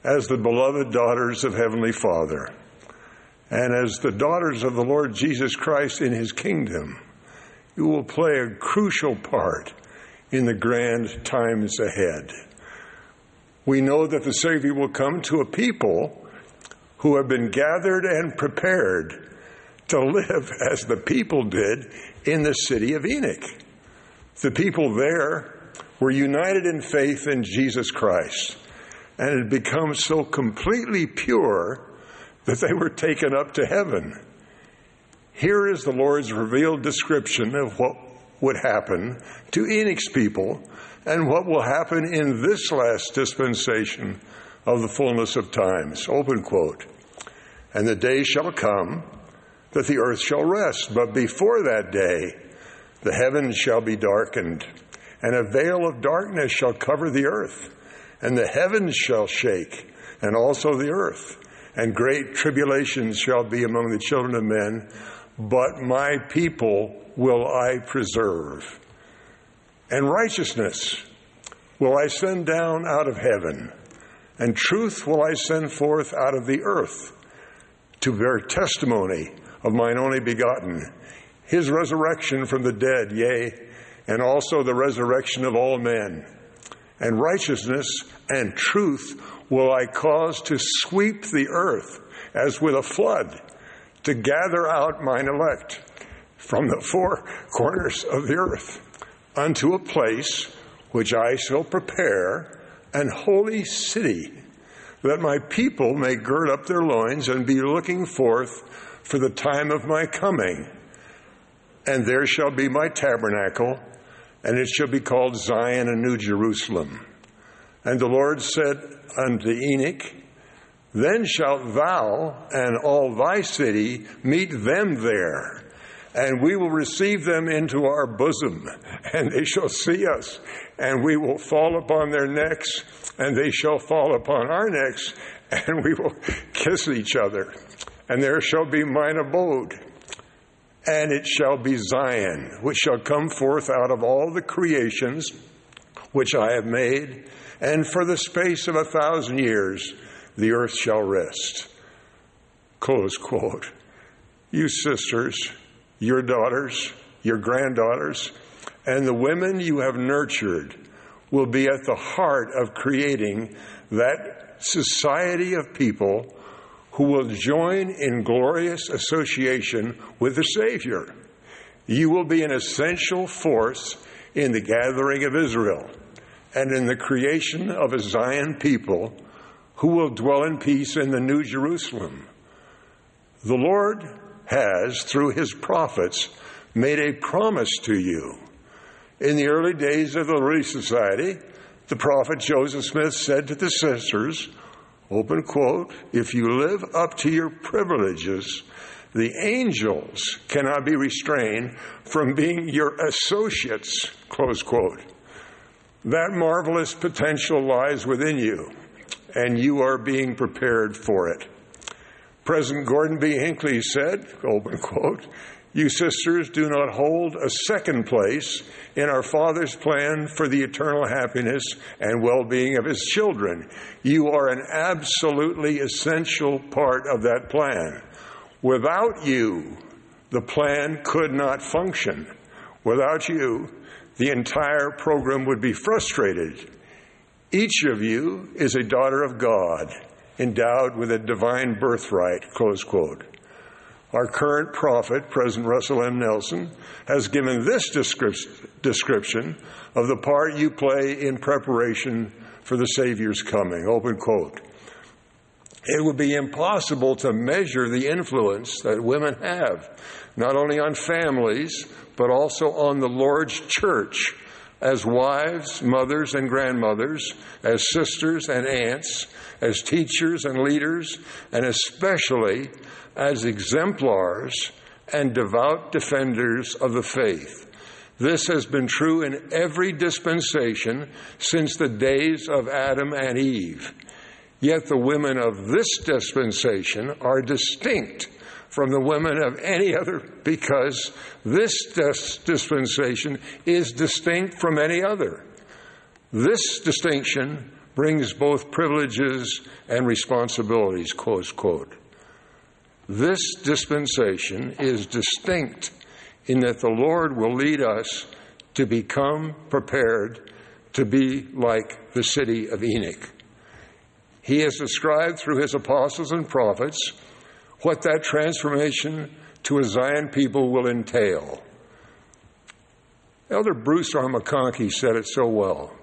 As the beloved daughters of Heavenly Father, and as the daughters of the Lord Jesus Christ in his kingdom, You will play a crucial part in the grand times ahead. We know that the Savior will come to a people who have been gathered and prepared to live as the people did in the city of Enoch. The people there were united in faith in Jesus Christ and had become so completely pure that they were taken up to heaven. Here is the Lord's revealed description of what would happen to Enoch's people and what will happen in this last dispensation of the fullness of times. Open quote. And the day shall come that the earth shall rest, but before that day the heavens shall be darkened, and a veil of darkness shall cover the earth, and the heavens shall shake, and also the earth, and great tribulation shall be among the children of men, but my people will I preserve. And righteousness will I send down out of heaven, and truth will I send forth out of the earth, to bear testimony of mine only begotten, his resurrection from the dead, yea, and also the resurrection of all men. And righteousness and truth will I cause to sweep the earth as with a flood, to gather out mine elect from the four corners of the earth, unto a place which I shall prepare, an holy city, that my people may gird up their loins and be looking forth for the time of my coming. And there shall be my tabernacle, and it shall be called Zion and New Jerusalem. And the Lord said unto Enoch, Then shalt thou and all thy city meet them there, and we will receive them into our bosom, and they shall see us, and we will fall upon their necks, and they shall fall upon our necks, and we will kiss each other. And there shall be mine abode, and it shall be Zion, which shall come forth out of all the creations which I have made, and for the space of a thousand years the earth shall rest. Close quote. You sisters, your daughters, your granddaughters, and the women you have nurtured will be at the heart of creating that society of people who will join in glorious association with the Savior. You will be an essential force in the gathering of Israel and in the creation of a Zion people who will dwell in peace in the New Jerusalem. The Lord has, through his prophets, made a promise to you. In the early days of the Relief Society, the prophet Joseph Smith said to the sisters, open quote, "If you live up to your privileges, the angels cannot be restrained from being your associates," close quote. That marvelous potential lies within you, and you are being prepared for it. President Gordon B. Hinckley said, open quote, "You sisters do not hold a second place in our Father's plan for the eternal happiness and well-being of his children. You are an absolutely essential part of that plan. Without you, the plan could not function. Without you, the entire program would be frustrated. Each of you is a daughter of God, endowed with a divine birthright," close quote. Our current prophet, President Russell M. Nelson, has given this descrip-, description of the part you play in preparation for the Savior's coming. Open quote. It would be impossible to measure the influence that women have, not only on families, but also on the Lord's church, as wives, mothers, and grandmothers, as sisters and aunts, as teachers and leaders, and especially as exemplars and devout defenders of the faith. This has been true in every dispensation since the days of Adam and Eve. Yet the women of this dispensation are distinct from the women of any other, because this dis-, dispensation is distinct from any other. This distinction brings both privileges and responsibilities, close quote. This dispensation is distinct in that the Lord will lead us to become prepared to be like the city of Enoch. He has described through his apostles and prophets what that transformation to a Zion people will entail. Elder Bruce R. McConkie said it so well.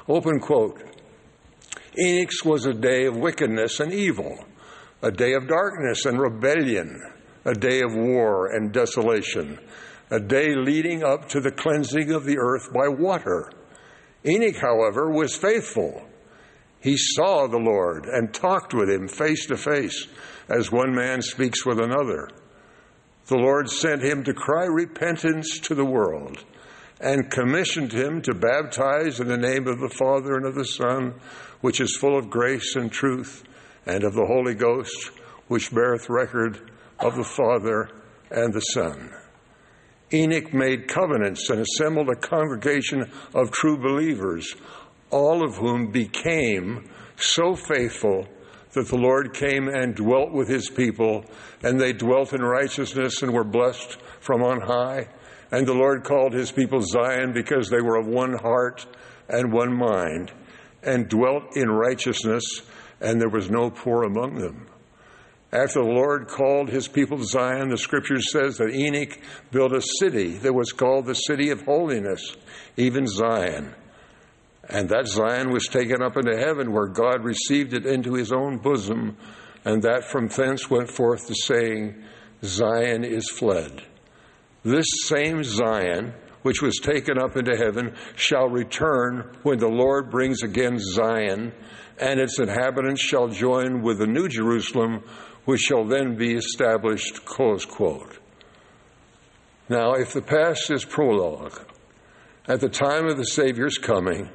Open quote. Enoch's was a day of wickedness and evil, a day of darkness and rebellion, a day of war and desolation, a day leading up to the cleansing of the earth by water. Enoch, however, was faithful. He saw the Lord and talked with him face to face as one man speaks with another. The Lord sent him to cry repentance to the world and commissioned him to baptize in the name of the Father and of the Son, which is full of grace and truth, and of the Holy Ghost, which beareth record of the Father and the Son. Enoch made covenants and assembled a congregation of true believers, all of whom became so faithful that the Lord came and dwelt with his people, and they dwelt in righteousness and were blessed from on high. And the Lord called his people Zion because they were of one heart and one mind, and dwelt in righteousness, and there was no poor among them. After the Lord called his people to Zion, the scripture says that Enoch built a city that was called the city of holiness, even Zion. And that Zion was taken up into heaven, where God received it into his own bosom, and that from thence went forth the saying, "Zion is fled." This same Zion, which was taken up into heaven, shall return when the Lord brings again Zion, and its inhabitants shall join with the New Jerusalem, which shall then be established. Close quote. Now, if the past is prologue, at the time of the Savior's coming,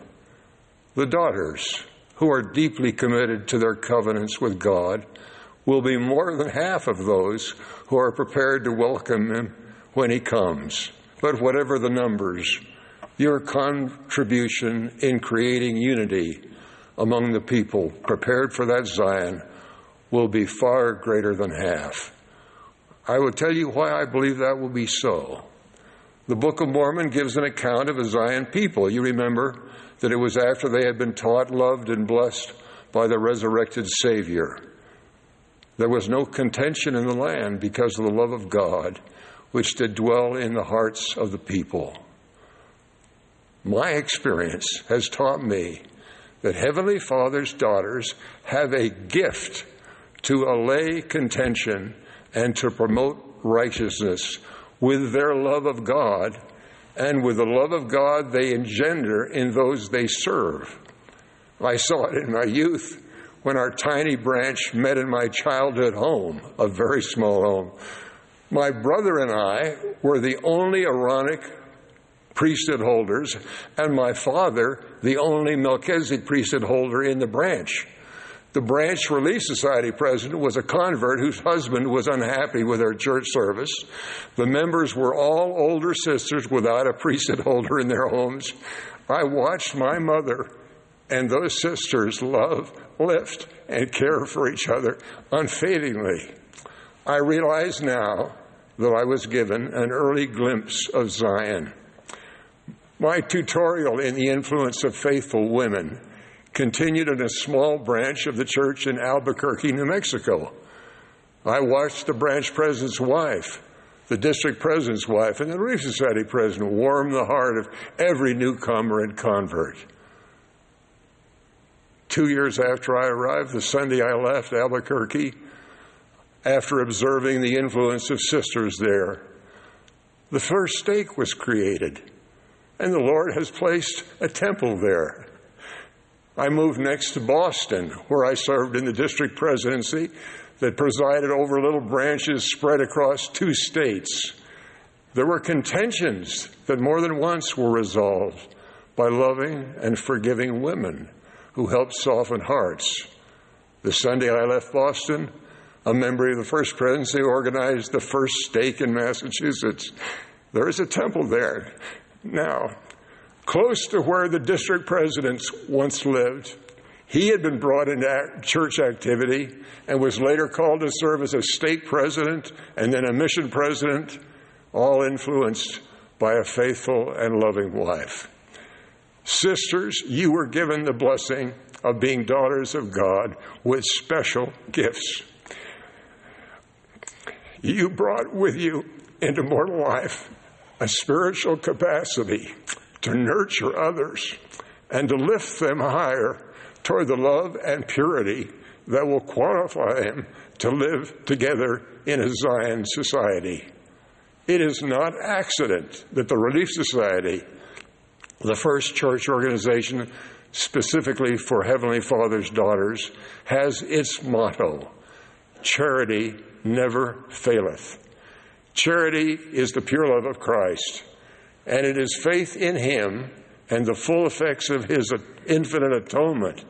the daughters, who are deeply committed to their covenants with God, will be more than half of those who are prepared to welcome him when he comes. But whatever the numbers, your contribution in creating unity among the people prepared for that Zion will be far greater than half. I will tell you why I believe that will be so. The Book of Mormon gives an account of a Zion people. You remember that it was after they had been taught, loved, and blessed by the resurrected Savior. There was no contention in the land because of the love of God, which did dwell in the hearts of the people. My experience has taught me that Heavenly Father's daughters have a gift to allay contention and to promote righteousness with their love of God and with the love of God they engender in those they serve. I saw it in my youth when our tiny branch met in my childhood home, a very small home. My brother and I were the only Aaronic priesthood holders, and my father the only Melchizedek priesthood holder in the branch. The branch Relief Society president was a convert whose husband was unhappy with our church service. The members were all older sisters without a priesthood holder in their homes. I watched my mother and those sisters love, lift, and care for each other unfadingly. I realize now that I was given an early glimpse of Zion. My tutorial in the influence of faithful women continued in a small branch of the church in Albuquerque, New Mexico. I watched the branch president's wife, the district president's wife, and the Relief Society president warm the heart of every newcomer and convert. Two years after I arrived, the Sunday I left Albuquerque, after observing the influence of sisters there, the first stake was created, and the Lord has placed a temple there. I moved next to Boston, where I served in the district presidency that presided over little branches spread across two states. There were contentions that more than once were resolved by loving and forgiving women who helped soften hearts. The Sunday I left Boston, a member of the First Presidency organized the first stake in Massachusetts. There is a temple there now. Close to where the district presidents once lived, he had been brought into ac-, church activity and was later called to serve as a stake president and then a mission president. all influenced by a faithful and loving wife. Sisters, you were given the blessing of being daughters of God with special gifts. You brought with you into mortal life a spiritual capacity to nurture others and to lift them higher toward the love and purity that will qualify them to live together in a Zion society. It is not accident that the Relief Society, the first church organization specifically for Heavenly Father's daughters, has its motto, "Charity never faileth." Charity is the pure love of Christ, and it is faith in Him and the full effects of His infinite atonement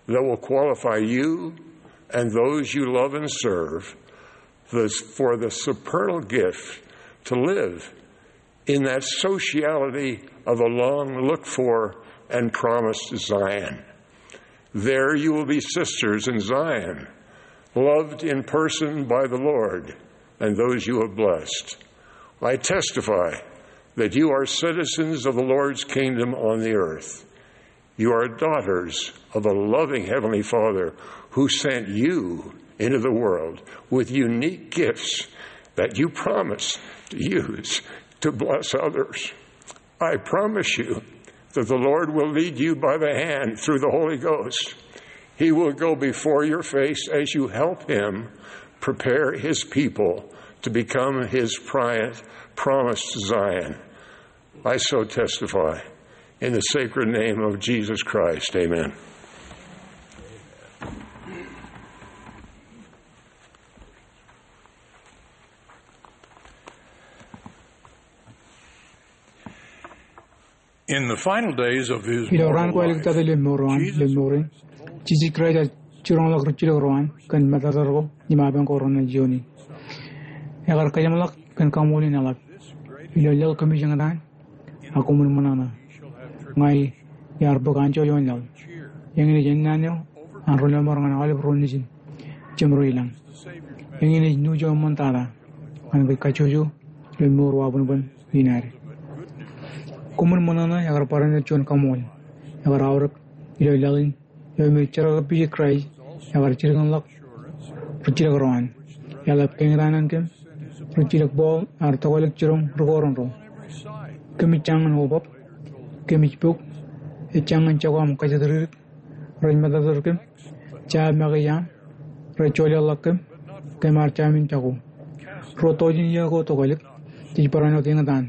that will qualify you and those you love and serve the, for the supernal gift to live in that sociality of a long looked for and promised Zion. There you will be sisters in Zion, loved in person by the Lord and those you have blessed. I testify that you are citizens of the Lord's kingdom on the earth. You are daughters of a loving Heavenly Father who sent you into the world with unique gifts that you promise to use to bless others. I promise you that the Lord will lead you by the hand through the Holy Ghost. He will go before your face as you help Him prepare His people to become His pri-, promised Zion. I so testify in the sacred name of Jesus Christ. Amen. In the final days of his mortal life, ilo raan ko āliktata ilo mour eo an, ilo mour in, Jisōs Kraist ear jiroñḷọk rijjilōk ro an kōn matata ko im apañ ko renaaj iooni. Ekar kōjeṃḷọk kōn kaṃool in eḷap. Ilo laḷ kōmij eñtaan, ak koṃwin ṃōṇōṇō. Ña iar bōk anjọ ioon laḷ. Eñin ej ennaan eo an ri lọmọọr ñan aolep ro nejin jemro ilañ. Eñin ej nuuj eo eṃṃantata ñan kōj kajjojo ilo mour wabōnbōn in ad. Koṃwin ṃōṇōṇō, ekar barāinwōt juon kaṃool ekar aorōk ilo laḷ in eo me jerkakpeje Kraist ekar jilkinḷọk rijjilōk ro an. Eḷap ke eñtaan an kōm, rijjilōk Paul ear tokālik jiroñ ri Korint ro. Kōmij jañin obab, kōmij bok, ej jañin jako aṃ kajatdikdik, rej matōtōd kōm, jab make iaam, rej joḷọkḷọk kōm, kōm ar jamin jako. Ruo doujin iiō ko tokālik, jej barāinwōt eñtaan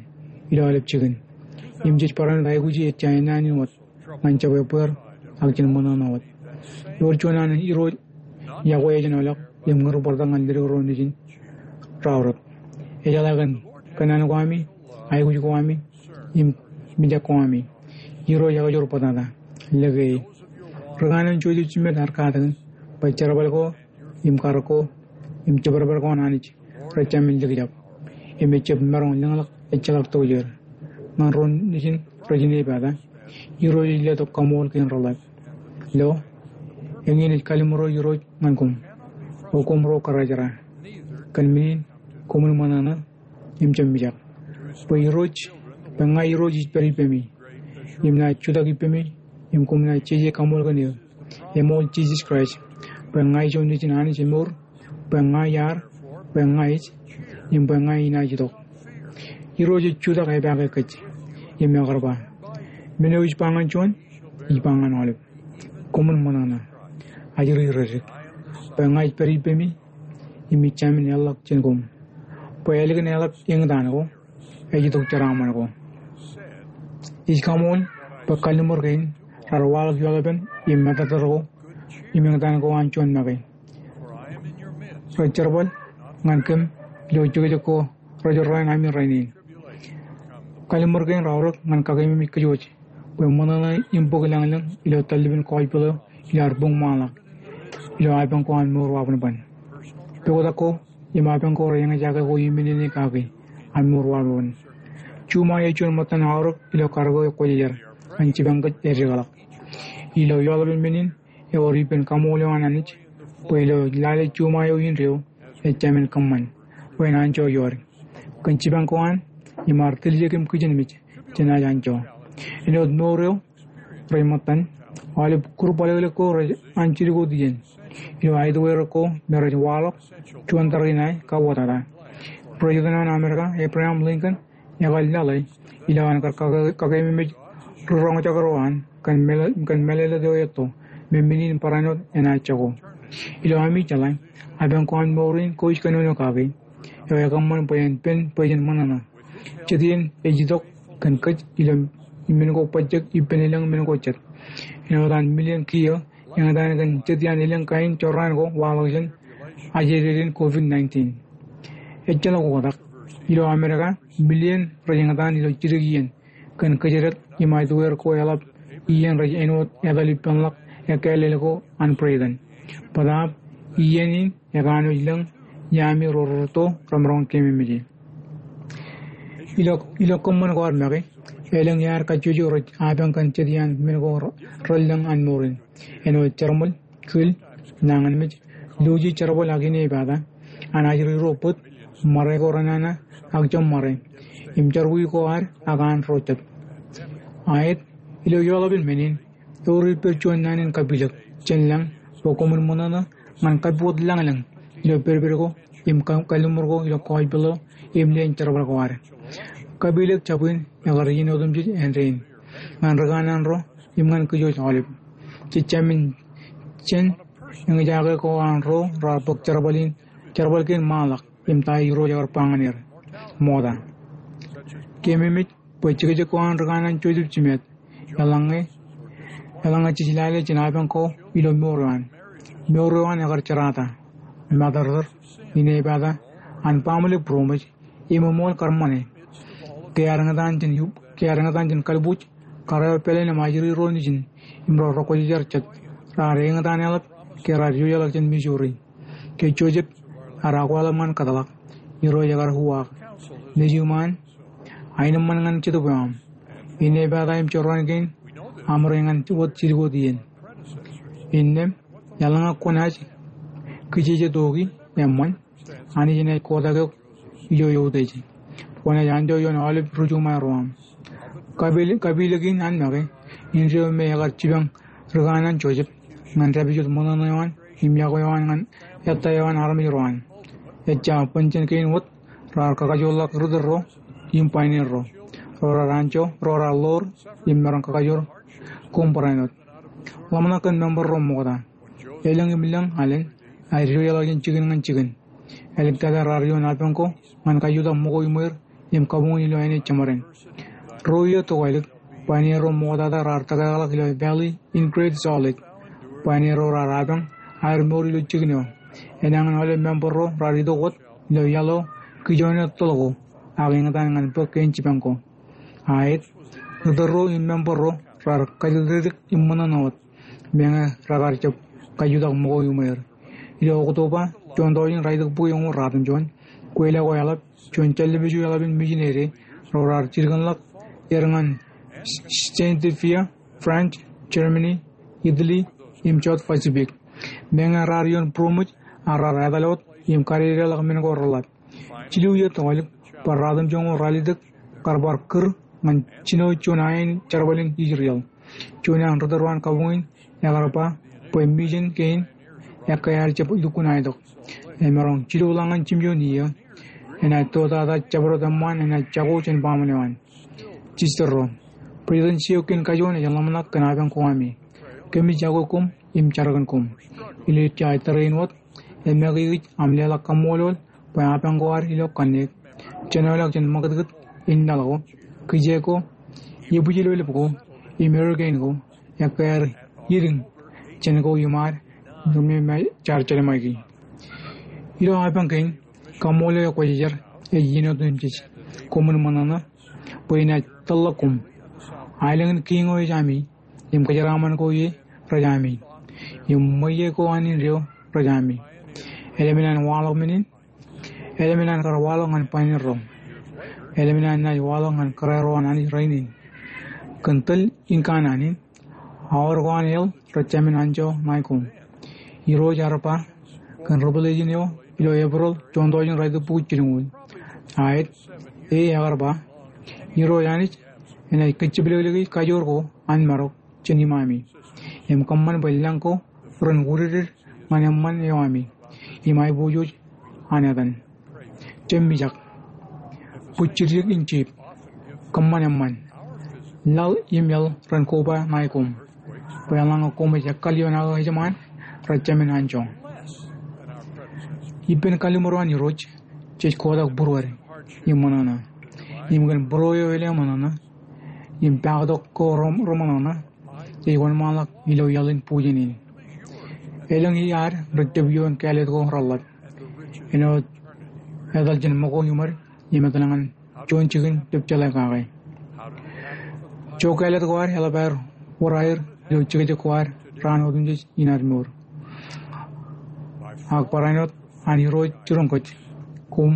ilo aolep jikin. Im jej barāinwōt aikuji ejja ennaan in wōt ñan jab ebbeer ak jen ṃōṇōṇō wōt. Ewōr juon an Irooj iakwe ejān ḷọk im ñūr bōrtak ñan ledik ro nejin raorōk. Ejeḷā kōn kōnnaan ko ami, aikuj ko ami, im mijak ko ami. Irooj ekajoor bōtata. Lōke e. Ri kanaan jojejjimet ear katakin bwe jerbal ko, im karōk ko, im jebarbal ko an Anij rej jamin likjab. Im ejab maroñ lōñḷọk ejjeḷọk tojeer. Ñan ro nejin rej inepata, Irooj ej letok kaṃool kein reḷap. Lo, eñin ej kalliṃur eo Irooj ñan koṃ, O koṃ ro karrejera. Kōn men in, koṃwin ṃōṇōṇō, im jab mijak. Bwe Irooj, bwe ña Irooj ij pād ippemi, im naaj jutak ippemi, im koṃ naaj jeje kaṃool kōn eō. Eṃool Jisōs Kraist, bwe ña ijo nejin Anij emour, bwe ña iar, bwe ña ij, im bwe ña inaaj itok. Irooj ej jutak epaake kōj, im ekar ba, men eo ij ba ñan juon, ij ba ñan aolep. Koṃwin ṃōṇōṇō. Ajri redik. Bwe ña ij pād ippemi, im ij jamin eḷḷọk jān koṃ. Bwe ālikin eḷap eñtaan ko, ej itok jeraaṃṃan ko. Ij kaṃool bwe kalliṃur kein raar waḷọk ioḷapen im matōtōd ko im eñtaan ko an juon make. Rej jerbal ñan kōm ilo jekjek ko rej errā ami rainin. Kalliṃur kein raorōk ñan kakememej kōj wōj bwe ṃōṇōṇō im bōk lañlōñ ilo tallibin gospel eo iar buñṃaanḷọk ilo apañ ko an mour wabōnbōn. Poktak ko im apañ ko rej eñjake ko iminene kaki an mour wabōnbōn. Juṃae ej juon ṃōttan aorōk ilo karōk eo kwōjarjar ñan jipañ kōj ejjeḷọk. Ilo ioḷapen men in ewōr ippān kaṃool eo an Anij bwe ilo lale juṃae eo indeeo ejjamin kōṃṃan bwe en anjọ iood. kōn jipañ ko an im ad tiljek im kijenmej jenaaj anjọ. Āinwōt mour eo rej ṃōttan, aolep kūr baḷeḷe ko rej an jidik wōt iien. Ilo aet wōt ko me rej waḷọk juon tariṇae kabbokbok. President eo an Amerika, Abraham Lincoln, ekar laḷe ilo an kar kake-, kakeememej ri roñjake ro an kōn mālōtlōt eo etto me men in barāinwōt enaaj jako. Ilo ami jeḷā, apañ ko an mour in kōj kōnono kaki eo ekōṃṃan bwe en pen bwe jen ṃōṇōṇō. Jet iien ej itok kōn kōj ilo men ko bajjek ippān elōñ men ko jet. Āinwōt an milion kiiō eñtaan kōn jet iaan elōñ kain jorrāān ko waḷọk jān ajededin COVID nineteen. Ejjeḷọk oktak, ilo Amerika, milion rej eñtaan ilo jidik iien kōn kōjdat im aetweer ko eḷap iien rej āinwōt etal ippānḷọk ekkāālel ko an Britain. Bōtaab iien in ekanooj lōñ iaami ro rūtto remaroñ keememej e. Ilo, ilo kōṃṃan ko ad make, elōñ iaad kajjojo rej apañ kōn jet iaan men ko re-, relōñ an mour in. Āinwōt jerbal, kil, nañinmej, luuji jerbal ak inepata, an ajri ro bōd, ṃare ko renana, ak jeṃṃare, im jerọwiwi ko ad, ak an ro jet. Aet, ilo eḷap in men in, eor ippād juon naan in kapilōk jān lañ bwe koṃwin ṃōṇōṇō ñan kappukot lañlōñ ilo pedped ko im ka-, kalliṃur ko ilo gospel eo im leen jerbal ko ad. Kapilōk jabwin ekar iien otemjej āindein ñan ri kanaan ro im ñan kōj aolep. Jejjamin jān eñjake ko an ro raar bōk jerbal in, jerbal kein ṃaanḷọk im ta Irooj ekar ba ñan er ṃokta. Keememej bwe jekjek ko an ri kanaan Joseph Smith eḷaññe, eḷaññe jej lale jān apañ ko ilo mour eo an. Mour eo an ekar jerata, matōrtōr, inepata, an baaṃle būroṃōj, im eṃool kar ṃane. Ke ear eñtaan jān yu-, ke ear eñtaan jān kalbuuj, kar eo pāleen im ajri ro nejin im ro rekwōjarjar jet raar eñtaan eḷap ke raar ijojeḷọk jān Missouri. Ke Joseph ear akweḷap ñan kōtḷọk, Irooj ekar uwaak, Nejūṃ an, aenōṃṃan ñan jetōb eo aṃ. Inepata im jorrāān kein aṃ rej ñan wōt jidik wōt iien. Innām, eḷaññe kwōnaaj kijeje tok, eṃṃan, Anij enaaj kotak eok ilo eutiej. Kwōnaaj anjọ ioon aolep ri-juṃae ro aṃ. Kapil-, kapilōk in an make, indeeo me ekar jipañ ri kanaan Joseph ñan dāpijot ṃōṇōṇō eo an im yokwe eo an ñan ettā eo an armej ro an. Ejja, bōn jān kein wōt raar kakajoorḷọk ri tōl ro im pioneer ro, ro raar anjọ, ro raar ḷoor im maroñ kakajoor koṃ barāinwōt. Ḷōmṇak kōn member ro ṃokta. Elōñ im lōñ alen, aer ijojeḷọk jān jikin ñan jikin. Āliktata raar ioon apañ ko ñan kajutak ṃōko iṃweer im kabuñ in ilo āne jeṃaden. Ruo iiō tokālik, pioneer ro ṃoktata raar tōkeḷọk ilo Valley in Great Salt Lake. Pioneer ro raar apañ aer mour ilo jikin eo. Enañin aolep member ro raar itok wōt ilo iaḷ eo kijoone toḷ ko ak eñtaan ñan bōk kein jipañ ko. Aet, ri tōl ro im member ro raar kajiltōtōk im ṃōṇōṇō wōt meñe rekar jab kajutak ṃōko iṃweer. Ilo Oktoba, juon tọujin raelōñ bukwi eñoul ratimjuon, kweilọk ko eḷap, juon jāllib eo eḷap in mijinede ro raar jilkinḷọk er ñan Scandinavia, France, Germany, Italy, im South Pacific. Meñe raar ioon būroṃōj, ak raar etal wōt im kadedeḷọk men ko reḷap. Jilu iiō tokālik, bar ratimjuon ko raar letok kar bar kūr ñan jino juon ain jerbal in Israel. Juon eo an ri tōl ro an kabuñ in ekar ba bwe mission kein ekkā ear jab lukkuun aetok. Emaroñ jilu ḷọk ñan jimjuon iiō enaaj tōtata jabdewōt eṃṃaan enaaj jako jān baaṃle eo an. Jistōl ro, President Seward kein kajuon ej ḷōmṇak kōn apañ ko ami. Kōmij yokwe koṃ im jar kōn koṃ. Ilo ejja tōre in wōt, emake kōj aṃ leḷọk kaṃṃoolol bwe apañ ko ad ilo kanniōk, jenoḷọk jān ṃakūtkūt in laḷ ko, kijeek ko, ebwijlōḷḷap ko, im hurricane ko, ekkā aer idiñ jān ko iṃaad, im jar jelṃaiki. Ilo apañ kein, kaṃṃoolol eo kwōjarjar ej iien otemjej. Koṃwin ṃōṇōṇō bwe inaaj tōlḷọk koṃ. Aelōñ in kiiñ eo ej ami, im kōjeraaṃṃan ko ie rej ami, im ṃweiie ko an indeeo rej ami. Eḷap in an waḷọk men in, eḷap in an kar waḷọk ñan pioneer ro, eḷap in an naaj waḷọk ñan kōrā ro an Anij rainin. Kōn tōl in kanaan in, aor ko an hell rej jāmin anjọ ṇae koṃ. Irooj ear ba kōn Revelation eo ilo April juon tọujin raelōñ bukwi jilñuul, Aet, e, ekar ba, Irooj Anij enaaj kajjiblekleki kajoor ko an marok jān imaami im kōṃṃan bwe lañ ko ren wūdidik ñan eṃṃan eo ami im aiboojoj an etan. Jab mijak. Bwijjiddik in jeep. Kōṃṃan eṃṃan. Laḷ im iaḷ ren koba ṇae koṃ bwe eḷaññe koṃij ekkal ioon aō ejṃaan, rej jemān anjọ. Ippān kalliṃur eo an Irooj, jej kotak būruod im ṃōṇōṇō. Im kōn būruo eo eḷap ṃōṇōṇō im paaktok ko reṃōṇōṇō, jej wōnṃaanḷọk ilo iaḷ in bujen in. Elōñ iar rej jab iioon kāālōt ko reḷap āinwōt etal jān ṃōko iṃōd im etal ñan juon jikin jab jeḷā kake. Jo kāālōt ko ad eḷap aer wōr aer ilo jekjek ko ad raan otemjej in ad mour. Ak barāinwōt an Irooj jiroñ kōj, koṃ,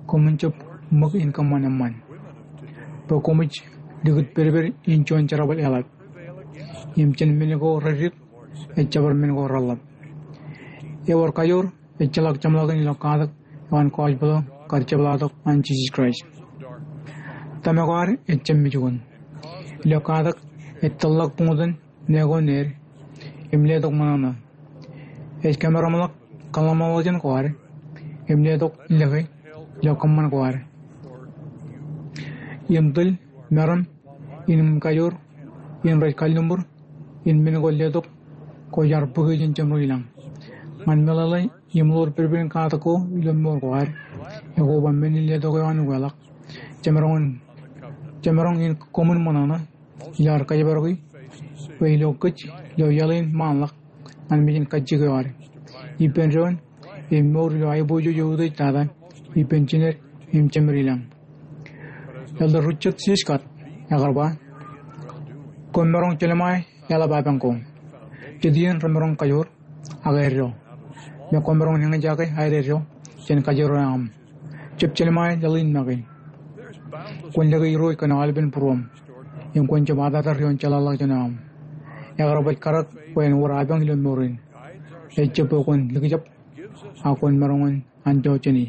koṃwin jab ṃōk in kōṃṃan eṃṃan bwe koṃij likūt pedped in juon jerbal eḷap im jān men ko reddik ej jabdewōt men ko reḷap. Ewōr kajoor ejjeḷọk jeṃḷọkin ilo katak eo an gospel kar jepḷaaktok an Jisōs Kraist. Tōmak ko ad ejjab mej wōn ilo katak ej tōlḷọk buñtōn ṇe ko ned im letok ṃōṇōṇō. Ej kōmeramḷọk kōḷmānḷọkjeṇ ko ad im letok lōke ilo kōṃṃan ko ad. Im tōl meram in kajoor in rej kalliṃur in men ko letok ko iar bōke jān jeṃro ilañ. Ñan meḷeḷe im ḷoor pedped in katak ko ilo mour ko ad, ekoba men in letok eo an ukeḷọk. Jemaroñ in, jemaroñ in koṃwin ṃōṇōṇō ilo ad kōjparoki bwe ilo kōj ilo iaḷ in ṃaanḷọk ñan mejān kajjik eo ad ippān doon im mour ilo aiboojoj eo utiej tata ippān jined im jemed ilañ. Elder Richard C. Scott ekar ba, koṃ maroñ jelṃae eḷap apañ ko. Jet iien remaroñ kajoor ak eddo. Im koṃ maroñ eñjake aededdo jān kajoor eo aṃ. Jab jelṃae laḷ in make. Kwōn lōke Irooj kōn aolepen būruōṃ im kwōn jab atattar ioon jeḷāḷọkjeṇ eo aṃ. Ekar baj karak bwe en wōr apañ ilo mour in. Ejjab bwe kwōn likjab ak kwōn maroñ in anjọ jāni.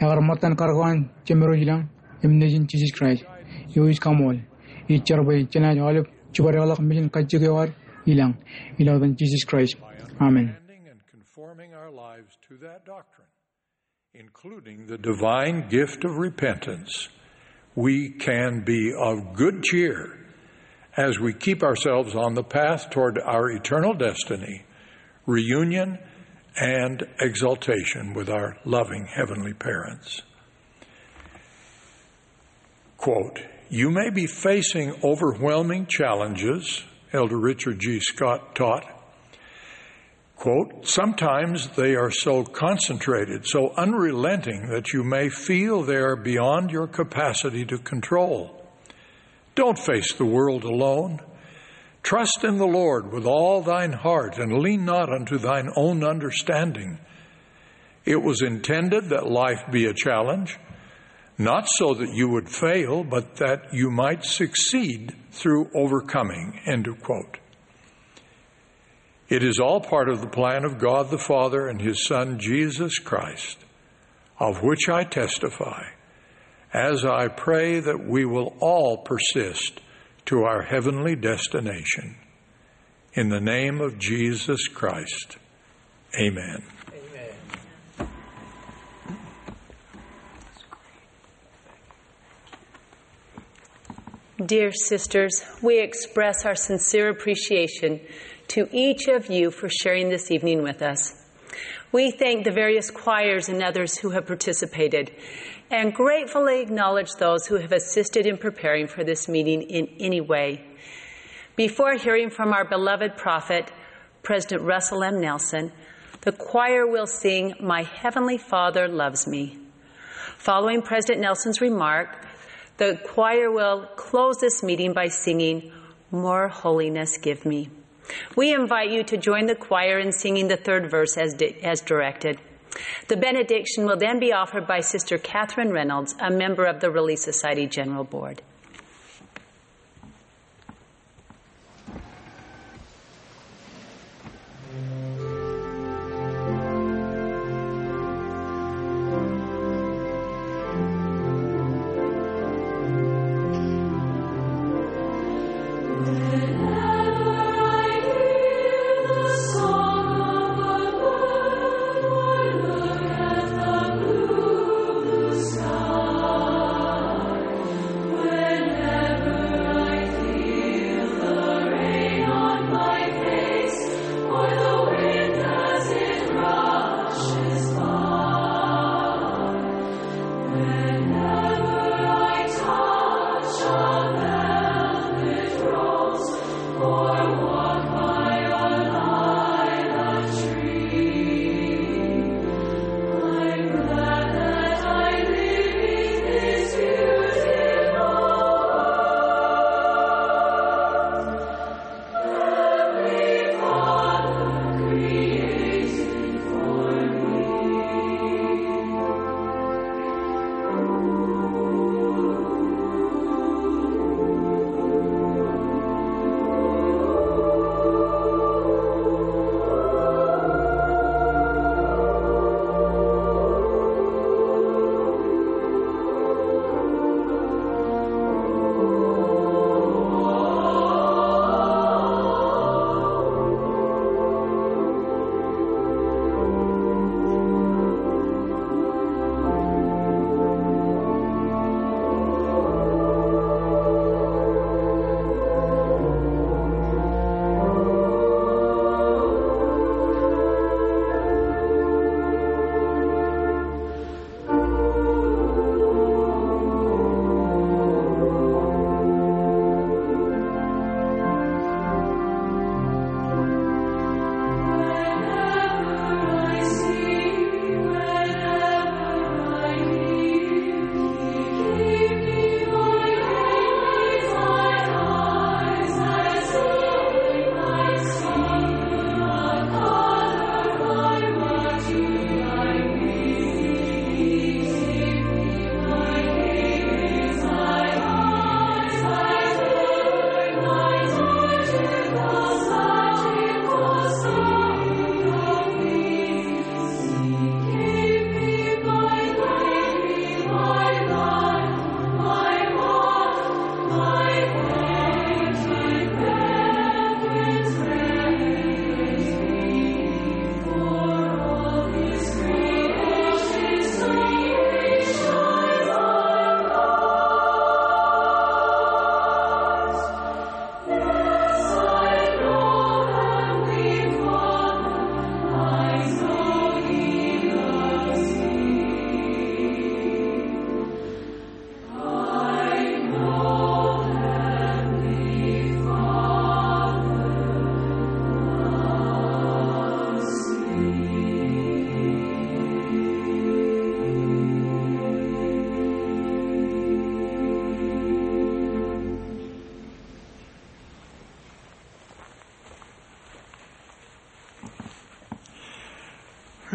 Ekar ṃōttan karak eo an Jemedwōj ilañ im Nejin Jisōs Kraist. Eo ij kaṃool, ij jar bwe jenaaj aolep jibadekḷọk mejān kajjik eo ad ilañ ilo etan Jisōs Kraist. Amen. And conforming our lives to that doctrine, including the divine gift of repentance, we can be of good cheer as we keep ourselves on the path toward our eternal destiny, reunion, and exaltation with our loving heavenly parents. Quote, you may be facing overwhelming challenges, Elder Richard G. Scott taught. Quote, sometimes they are so concentrated, so unrelenting, that you may feel they are beyond your capacity to control. Don't face the world alone. Trust in the Lord with all thine heart, and lean not unto thine own understanding. It was intended that life be a challenge, not so that you would fail, but that you might succeed through overcoming, end of quote. It is all part of the plan of God the Father and his Son, Jesus Christ, of which I testify, as I pray that we will all persist to our heavenly destination. In the name of Jesus Christ, amen. Dear sisters, we express our sincere appreciation to each of you for sharing this evening with us. We thank the various choirs and others who have participated and gratefully acknowledge those who have assisted in preparing for this meeting in any way. Before hearing from our beloved prophet, President Russell M. Nelson, the choir will sing My Heavenly Father Loves Me. Following President Nelson's remark, the choir will close this meeting by singing More Holiness Give Me. We invite you to join the choir in singing the third verse as di-, as directed. The benediction will then be offered by Sister Catherine Reynolds, a member of the Relief Society General Board.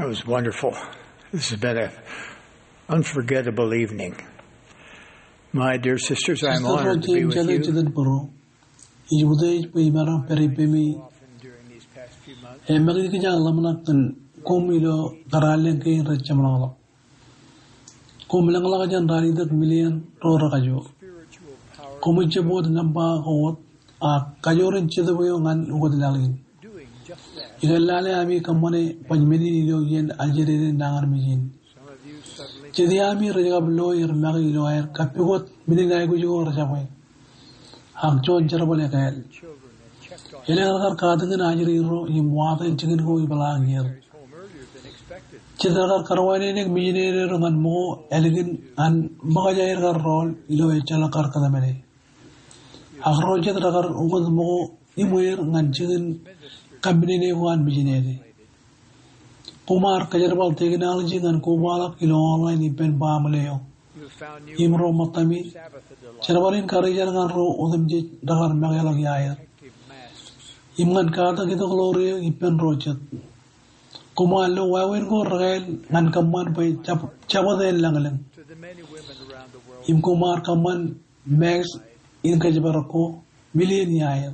That was wonderful. This has been an unforgettable evening. My dear sisters, I'm honored to be with you. Jitōnbōro, ij utiej bwe imaroñ pād ippemi. Im ij kōjeañ ḷōmṇak kōn koṃ ilo kōrā alen kein rej jeṃḷọkḷọk. Koṃ lōñḷọk jān ralitōk million ro rekajo. Koṃij jab wōt nōṃba ko wōt, ak kajoor in jetōb eo ñan ukōt laḷ in. Ikōṇaan ami kōṃṃane baj men in ilo iien ajeded in nañinmej in. Jet eo ami rej kab lo er make ilo aer kappukot men in aikuj ko rej jabwe. Ak juon jerbal ekāāl. Elōñ rekar katakin ajri ro im watōn jikin ko ipeḷaakier. Jet rekar kar wānōk mijinede ro ñan ṃōko ālikin an ṃōkaj aer kar rool ilo ejjeḷọk kar kōtmāne. Ak ro jet rekar ukōt ṃōko iṃweer ñan jikin kaṃṃinene ko an mijinede. Koṃ ar kōjerbal technology ñan kobaḷọk ilo online ippān baaṃle eo. Im ro ṃōttami, jerbal in karijer ñan ro otemjej rekar mekeḷọk iaer. Im ñan katak itok ḷoor eō ippān ro jet. Koṃ ar lo wāween ko rekāāl ñan kōṃṃan bwe jab-, jabōt en lañlōñ. Im koṃ ar kōṃṃan mask in kōjparok ko, million iaer.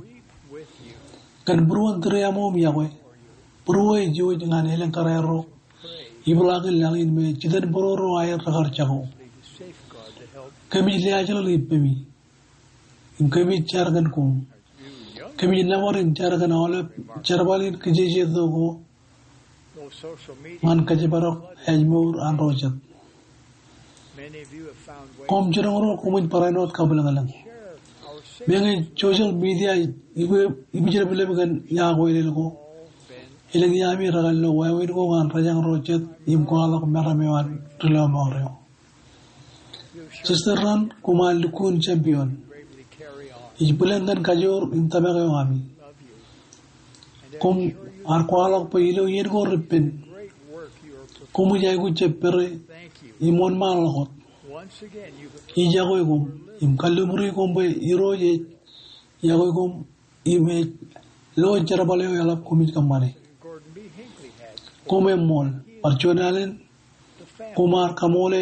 Kōn būruon tūriaṃo im iọkwe, būruō ej iwōj ñan elōñ kōrā ro ipeḷaakin laḷ in me jitōnbōro ro aer rekar jako. Kōmij leaajlọl ippemi. Im kōmij jar kōn koṃ. Kōmij nōbar in jar kōn aolep jerbal in kijeje tok ko ñan kōjparok ājmour an ro jet. Koṃ jiroñ ro koṃij barāinwōt kabwilōñlōñ. Meñe social media ij, ij, ij jab lep kōn iọkwe elōñ ko. Elōñ iami rekar lo wāween ko ñan rōjañ ro jet im kwaḷọk meram eo an ri lọmọọr eo. Sister Rand, koṃ ar lukkuun champion. Ij bwilōñ kōn kajoor in tōmak eo ami. Koṃ ar kwaḷọk bwe ilo iien ko repen, koṃij aikuj jab pere im wōnṃaanḷọk wōt. Ij iọkwe koṃ im kalliṃuri koṃ bwe Irooj ej iọkwe koṃ im ej lo jerbal eo eḷap koṃij kōṃṃane. Koṃ eṃṃool, bar juon alen koṃ ar kaṃoole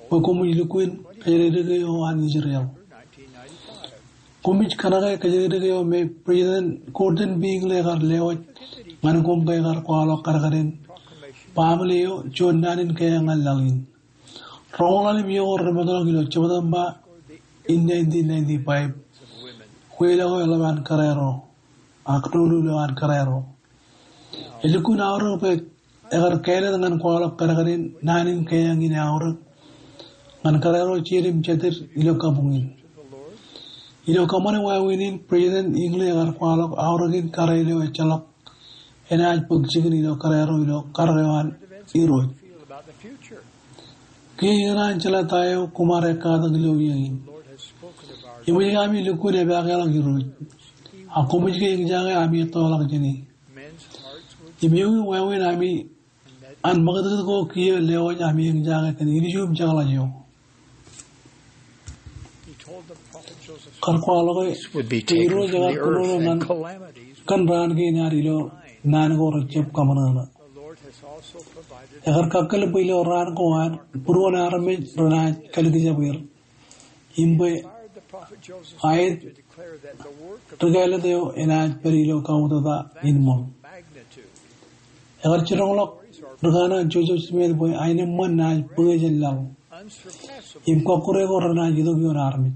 bwe koṃij lukkuun kōjatdikdik eo an Israel. Koṃij kōṇake kōjatdikdik eo me President Gordon B. Hinckley ekar lewōj ñan koṃ ke ekar kwaḷọk kadkadin baaṃle eo juon naan in keeañ ñan laḷ in. Roñoul ḷalem iiō ko remootḷọk ilo Jeptamba in nineteen ninety-five, wheel ko eḷap an kōrā ro, ak doulul eo an kōrā ro. Elukkuun aorōk bwe ekar kāālōt ñan kwaḷọk kadkadin naan in keeañ in aorōk ñan kōrā ro jeiū im jatid ilo kabuñ in. Ilo kōṃṃane wāween in, President Hinckley ekar kwaḷọk aorōk in kōrā eo ejjeḷọk enaaj bōk jikin ilo kōrā ro ilo karōk eo an Irooj. Kiiō ikōṇaan jeḷā ta eo koṃ ar ekkatak ilo iiō in. Eṃōj ke ami lukkuun epaakḷọk Irooj, ak koṃij ke eñjake ami ettoḷọk jāne. Im ewi wāween ami an ṃakūtkūt ko kiiō lewōj ami eñjake kōn ilju im jekḷaj eo? Kar kwaḷọke bwe Irooj ekar kōnono ñan kōn raan kein ad ilo naan ko rejjab kaṃōṇōṇō. Ekar kakkōl bwe ilo raan ko ad būruon armej renaaj kalikjab er. Im bwe aet ri kāālōt eo enaaj pād ilo kautiej in ṃōṃ. Ekar jiroñḷọk ri kanaan Joseph Smith bwe aenōṃṃan naaj bwe jān laḷ im kọkkure ko renaaj itok ioon armej.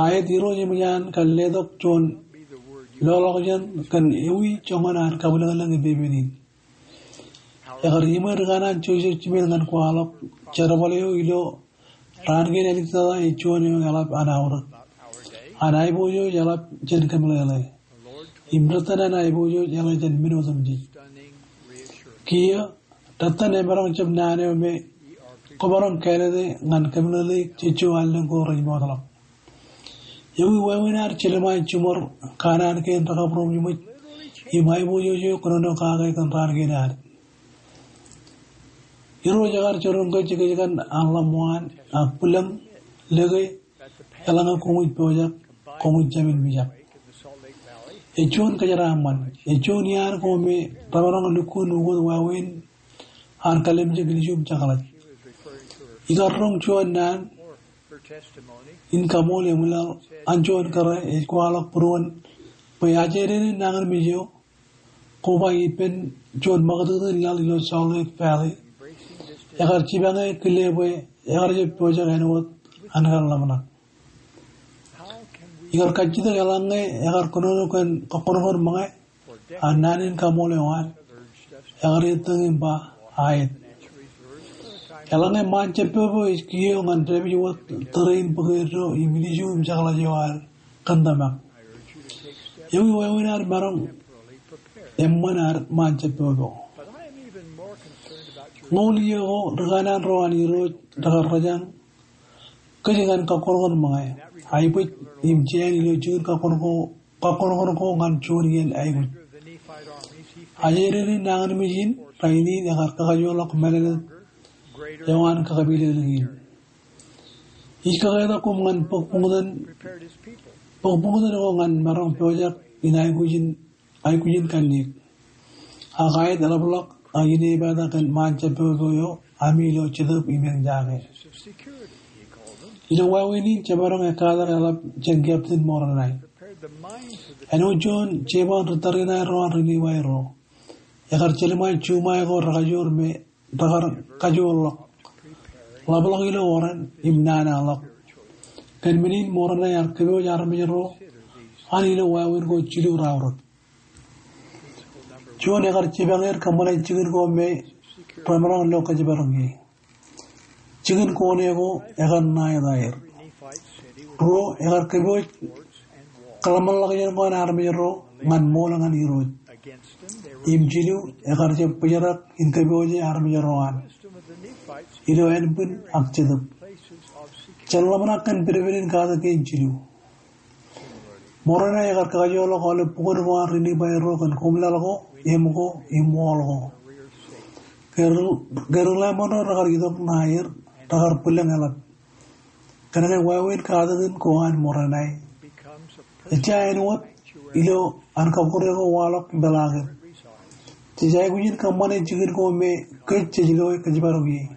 Aet Irooj eṃōj an kar letok juon loḷọkjeṇ kōn ewi joñan an kabwilōñlōñ epepen in. Ekar iṃwe ri kanaan Joseph Smith ñan kwaḷọk jerbal eo ilo raan kein āliktata ej juon eo eḷap an aorōk, an aiboojoj eḷap jān kōmeḷeḷe, im rōttan an aiboojoj eḷap jān men otemjej. Kiiō, rōttan emaroñ jab naan eo me kwōmaroñ kāālōte ñan kōmeḷeḷeik jejjo allōñ ko rej mootḷọk. Ewi wāween ad jelṃae jiṃor kanaan kein rekabūroṃōj im aiboojoj eo kōnono kake kōn raan kein ad? Irooj ekar jiroñ kōj ikōjkan an ḷōṃṃan ak bwilōñ, lōke, eḷaññe koṃij pojak, koṃij jāmin mijak. Ej juon kōjeraaṃṃan, ej juon iaan ko me remaroñ lukkuun ukōt wāween an kalimjek ilju im jekḷaj. Ikar roñ juon naan in kaṃool eṃwilaḷ an juon kōrā ej kwaḷọk būruon bwe ajeren in nañinmej eo, koba ippān juon ṃakūtkūt in laḷ ilo Salt Lake Valley, ekar jipañe kile bwe ekar jab pojak āinwōt an kar ḷōmṇak. Ikar kajjitōk eḷaññe ekar kōnono kōn kọkkọṇkọṇ ṃōñā an naan in kaṃool eo an ekar ettōñ im ba aet. Eḷaññe ṃaan jab popo ej kiiō ñan dāpij wōt tōre in bōk eddo im ilju im jekḷaj eo ad kōn tōmak, ewi wāween ad maroñ eṃṃan ad ṃaan jab popo? Ñoul iiō ko ri kanaan ro an Irooj rekar rōjañ kōj ñan kọkkọṇkọṇ ṃōñā, aebōj im jāān ilo jikin kọkkọṇkọṇ ko ñan juon iien aikuj. Ajeren in nañinmej in rainin ekar kakajoorḷọk mālōtlōt eo an kakapilōklōk in. Ij kaketak koṃ ñan bōk buñtōn, bōk buñtōn ko ñan maroñ pojak in aikuj in aikuj in kanniōk. Ak aet eḷapḷọk ak inepata kōn ṃaan jab popo eo ami ilo Jetōb im Eñjake. Ilo wāween in jemaroñ ekkatak eḷap jān Captain Moroni. Āinwōt juon jeban ri tariṇae ro an ri Livai ro, ekar jelṃae juṃae ko rekajoor me rekar kajoorḷọk, ḷapḷọk ilo oran im nana ḷọk. Kōn men in Moroni ear kōpooj armej ro an ilo wāween ko jilu raorōk. Juon, ekar jipañ er kōṃṃane jikin ko me remaroñ lo kōjparok ie. Jikin ko ṇe ko ekar ṇa etaer. Ruo, ekar kōpooj kōḷmānḷọkjeṇ ko an armej ro ñan ṃool ñan Irooj. Im jilu, ekar jab bōjrak in kōpooje armej ro an ilo ānbwin ak jetōb. Jen ḷōmṇak kōn pedped in katak kein jilu. Moronae ekar kakajoorḷọk aolep bukun ko an ri Nifai ro kōn koṃlaḷ ko, im ko, im wall ko. Ke ri-, ke ri-Laman ro rekar itok ṇa er, rekar bwilōñ eḷap. Kōnke wāween katakin ko an Moronae ejja āinwōt ilo an kọkkure ko waḷọk im peḷaakin. Jej aikuj in kōṃṃane jikin ko me kōj jej loe kōjparok ie.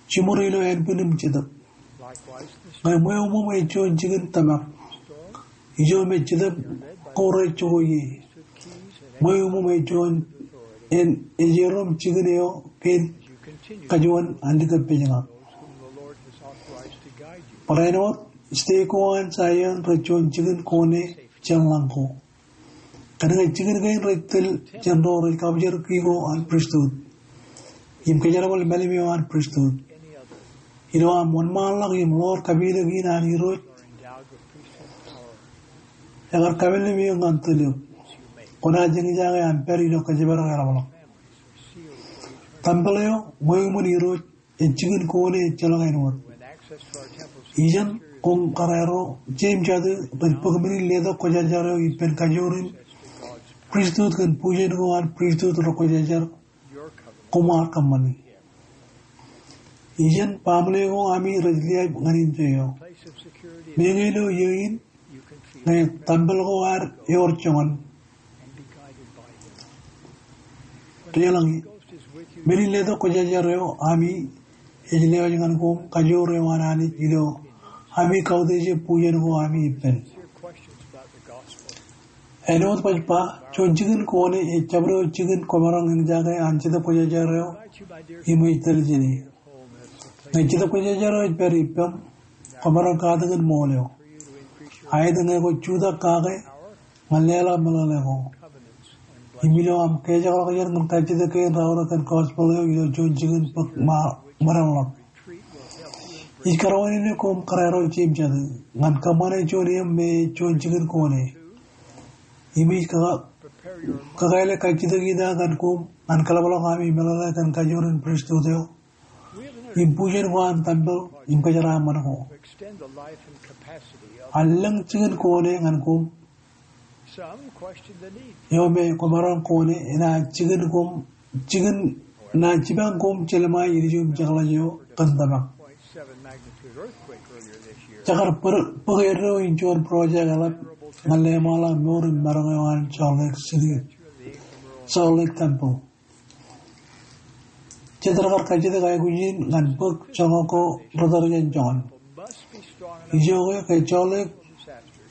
Jiṃor ilo ānbwin im jetōb. Ñe ṃweo ṃōṃ ej juon jikin tōmak, ijo me jetōb ko rej jokwe ie. Ṃweo ṃōṃ ej juon, en, ej erom jikin eo kein kajuon an likōpejñak. Barāinwōt, stake ko an Zion rej juon jikin ko ṇe jān lañ ko. Kōnke jikin kein rej tōl jān ro rej kabjar ki ko an pristut im kōjerbal mālim eo an pristut. Ilo aṃ wōnṃaanḷọk im ḷoor kapilōk in an Irooj, ekar kapilōk eok ñan tōl eok. Kwōnaaj eñjake aṃ pād ilo kōjparok eḷapḷọk. Tempel eo ṃweo ṃōṃ Irooj ej jikin ko ṇe ejjeḷọk āinwōt. Ijeṇ koṃ kōrā ro, Jeim Jatū, rej bōk men in letok kwōjarjar eo ippān kajoor in pristut kōn bujen ko an pristut rekwōjarjar koṃ ar kōṃṃani. Ijeṇ baaṃle ko ami rej liaib ñan indeeo. Meñe ilo iiō in, ñe tempel ko ad ewōr joñan. Deḷọñ, men in letok kwōjarjar eo ami ej lewōj ñan koṃ kajoor eo an Anij ilo ami kautiej bujen ko ami ippān. Āinwōt baj ba, juon jikin ko ṇe ej jabdewōt jikin kwōmaroñ eñjake an Jetōb Kwōjarjar eo im ej tōl jāne. Ñe Jetōb Kwōjarjar eo ej pād ippaṃ, kwōmaroñ katakin ṃool eo. Aet ñe kwō jutak kake ñan leḷọk meḷeḷe ko im ilo aṃ kejakḷọk jān ñan kajjitōk kein raorōk kōn gospel eo ilo juon jikin bōk ṃōrañḷọk. Ij kōrā wōt ilo koṃ kōrā ro Jeim Jatū ñan kōṃṃane juon iiō me juon jikin ko ṇe. Im ij kaka-, kakāāle kajjitōk eo ñan koṃ ñan kōḷapḷọk ami meḷeḷe kōn kajoor in pristut eo im bujen ko an tempel im kōjeraaṃṃan ko. An lōñ jikin ko ṇe ñan koṃ eo me kwōmaroñ ko ṇe enaaj jikin koṃ, jikin naaj jipañ koṃ jelṃae ilju im jekḷaj eo kōn tōmak. Jekar bōk eddo in juon project eḷap ñan leṃaanḷọk mour im maroñ eo an Salt Lake City, Salt Lake Temple. Jet rekar kajjitōk aikuj in ñan bōk joñak ko rej tōl jān joñan. Ijoke ke Salt Lake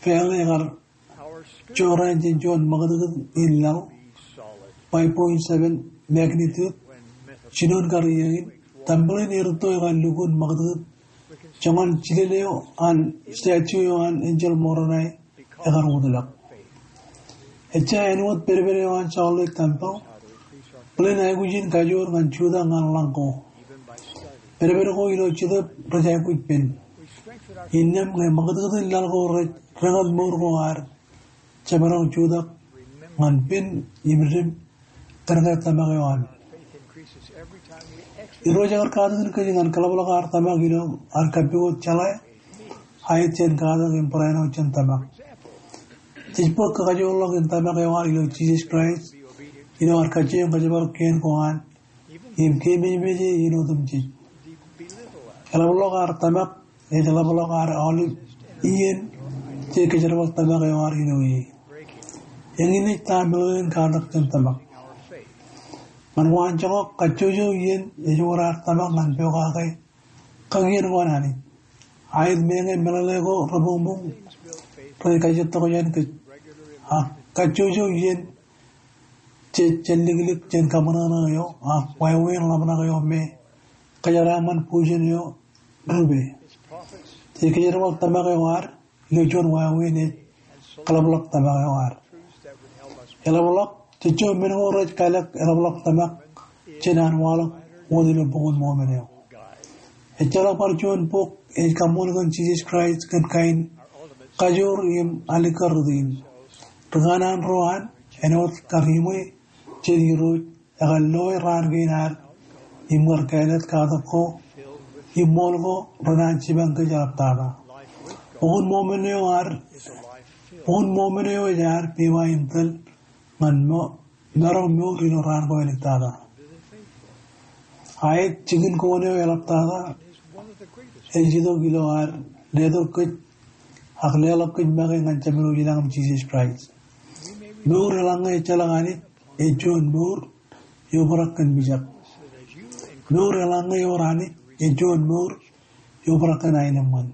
Valley ekar jorrāān jān juon ṃakūtkūt in laḷ, five point seven magnitude, jinoin kar iiō in, tempel in erūtto ekar lukkuun ṃakūtkūt joñan jilel eo an statue eo an enjeḷ Moronae ekar wōtlọk. Ejja āinwōt pedped eo an Salt Lake Temple, bōlen aikuj in kajoor ñan jutak ñan lañ ko. Pedped ko ilo Jetōb rej aikuj pen. Innām ñe ṃakūtkūt in laḷ ko rej reñōd mour ko ad, jemaroñ jutak ñan pen im dim kōnke tōmak eo ami. Irooj ekar katakin kōj ñan kōḷapḷọk ad tōmak ilo ad kappukot jeḷā, aet jān katak im barāinwōt jān tōmak. Jej bōk kakajoorḷọk in tōmak eo ad ilo Jisōs Kraist ilo ad kajjioñ kōjparok kien ko an im keememej e in otemjej. Eḷapḷọk ad tōmak ej ḷapḷọk ad aolep iien jej kōjerbal tōmak eo ad ilo e. Eñin ej ta meḷeḷein katak jān tōmak. Ñan waanjoñak, kajjojo iien ej wōr ad tōmak ñan pokake kakien ko an Anij. Aet meñe meḷeḷe ko reboñboñ rej kajjitōk jān kōj. Ak kajjojo iien jej jān liklik jān kaṃōṇōṇō eo ak wāween ḷōmṇak eo me kōjeraaṃṃan bujen eo rupe. Jej kōjerbal tōmak eo ad ilo juon wāween ej kaḷapḷọk tōmak eo ad. Eḷapḷọk, jej juon men ko rej kalōk eḷapḷọk tōmak jān an waḷọk wōt ilo Bok in Mormon eo. Ejjeḷọk bar juon bok ej kaṃṃool kōn Jisōs Kraist kōn kain kajoor im alikkar rot in. Ri kanaan ro an āinwōt kar iṃwe jān Irooj, ekar loe raan kein ad im kar kāālōt katak ko im ṃool ko renaaj jipañ kōj eḷaptata. Bok in Mormon eo ad, Bok in Mormon eo ej ad pepa in tōl ñan mo-, maroñ mour ilo raan ko āliktata. Aet jikin koon eo eḷaptata ej itok ilo ad letok kōj ak leḷọk kōj make ñan Jemem eo ilañ im Jisōs Kraist. Mour eḷaññe ejjeḷọk Anij ej juon mour eobrak kōn mijak. Mour eḷaññe ewōr Anij ej juon mour eobrak kōn aenōṃṃan.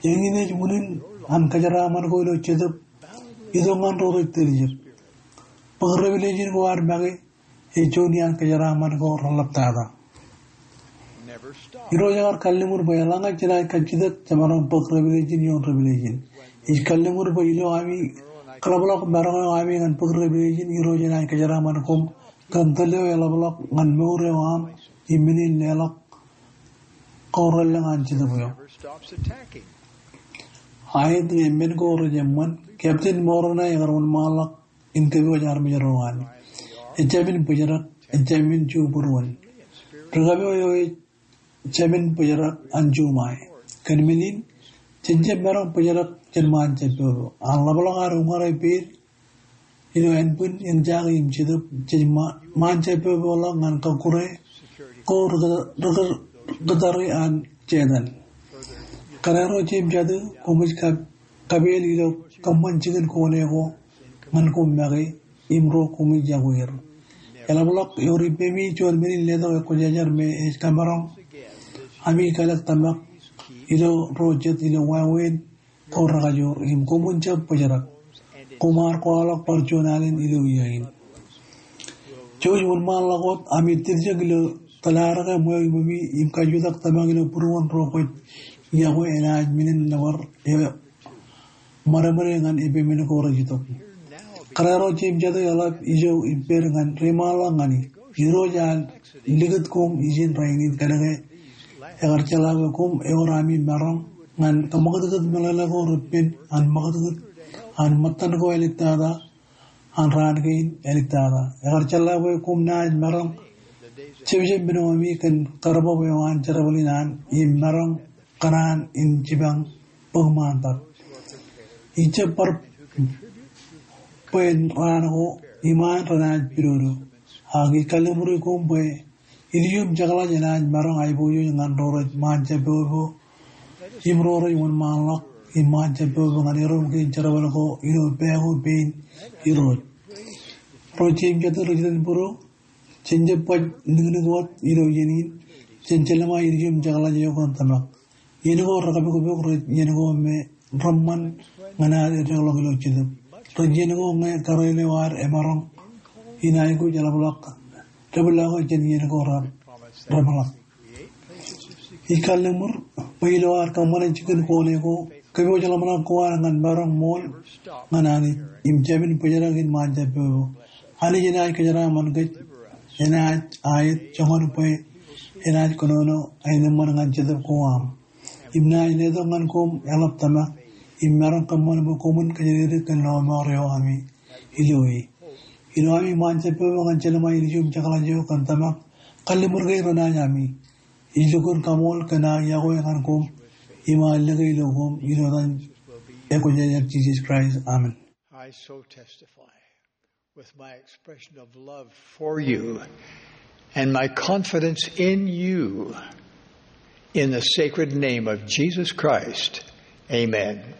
Eñin ej unin an kōjeraaṃṃan ko ilo Jetōb itok ñan ro rej tiljek. Bōk Revelation ko ad make ej juon iaan kōjeraaṃṃan ko reḷaptata. Irooj ekar kalliṃur bwe eḷaññe jenaaj kajjitōk jemaroñ bōk Revelation ioon Revelation. Ij kalliṃur bwe ilo ami kaḷapḷọk maroñ eo ami ñan bōk Revelation, Irooj enaaj kōjeraaṃṃan koṃ kōn tōl eo eḷapḷọk ñan mour eo aṃ im men in leḷọk ko relōñ an Jetōb eo. Aet ñe men ko rej eṃṃan, Captain Moroni ekar wōnṃaanḷọk in kōpooj armej ro an. Ejāmin bōjrak, ejāmin jubūruon. Ri kōpooj eo ej jāmin bōjrak an juṃae. Kōn men in, jen jab maroñ bōjrak jān ṃaan jabbobo. An ḷapḷọk ad uññūr ippān ilo ānbwin, eñjake im jetōb, jej ṃa-, ṃaan jabboboḷọk ñan kọkkure ko ri-, ri-, ri-, ri-, ri-, an Setan. Kōrā ro jeiū im jatū, koṃij kab-, kapeel ilo kōṃṃan jikin koon eo ko ñan koṃ make im ro koṃij iọkwe er. Eḷapḷọk ewōr ippemi juon men in letok ekwōjarjar me ej kamaroñ ami kalōk tōmak ilo ro jet ilo wāween ko rekajoor im koṃwin jab bōjrak. Koṃ ar kwaḷọk bar juon alen ilo iiō in. Jouj wōnṃaanḷọk wōt ami tiljek ilo tōl ad ke ṃweo iṃōmi im kajutak tōmak ilo būruon ro kwōj iọkwe enaaj men in nōbar eo ṃadṃōde ñan ippān men ko rej itok. Kōrā ro jeiū im jatū, eḷap ijo ippād ñan reiṃaanḷọk ñani. Irooj ear likūt koṃ ijin rainin kōnke ekar jeḷā bwe koṃ ewōr ami maroñ ñan kaṃakūtkūt meḷeḷe ko repen an ṃakūtkūt an ṃōttan ko āliktata an raan kein āliktata. Ekar jeḷā bwe koṃ naaj maroñ jepjep men eo ami kōn karbab eo an jerbal in an im maroñ kōṇaan in jipañ bōk ṃaantak. Ij jab bar bwe raan ko iṃaan renaaj pidodo. Ak ij kalliṃuri koṃ bwe ilju im jekḷaj enaaj maroñ aiboojoj ñan ro rej ṃaan jabbobo im ro rej wōnṃaanḷọk im ṃaan jabbobo ñan erom kein jerbal ko ilo pā ko pein Irooj. Ro jeiū im jatū rej iten būruō, jen jab baj niknik wōt ilo iien in, jen jelṃae ilju im jekḷaj eo kōn tōmak. Iien ko rekapokpok rej iien ko me reṃṃan ñan ad eddeḷọk ilo jetōb. Rej iien ko ñe kareel eo ad emaroñ in aikuj eḷapḷọk debwāāl ko jān iien ko re-, reṃōḷak. Ij kalliṃur bwe ilo ad kōṃṃane jikin koon eo ko, kōpooj ḷōmṇak ko ad ñan maroñ ṃool ñan Anij im jāmin bōjrak in ṃaan jabbobo. Anij enaaj kōjeraaṃṃan kōj, enaaj aet joñan bwe enaaj kōnono aenōṃṃan ñan jetōb ko aṃ. Im naaj letok ñan koṃ eḷap tōmak im maroñ kōṃṃan bwe koṃwin kōjatdikdik kōn lọmọọr eo ami ilo e. Ilo ami ṃaan jabbobo ñan jelṃae ilju im jekḷaj eo kōn tōmak, kalliṃur ke renaaj ami. Ij lukkuun kaṃool kōn aō iọkwe ñan koṃ im aō lōke ilo koṃ, ilo etan Ekwōjarjar Jisōs Kraist, amen. I so testify with my expression of love for you and my confidence in you in the sacred name of Jesus Christ. Amen.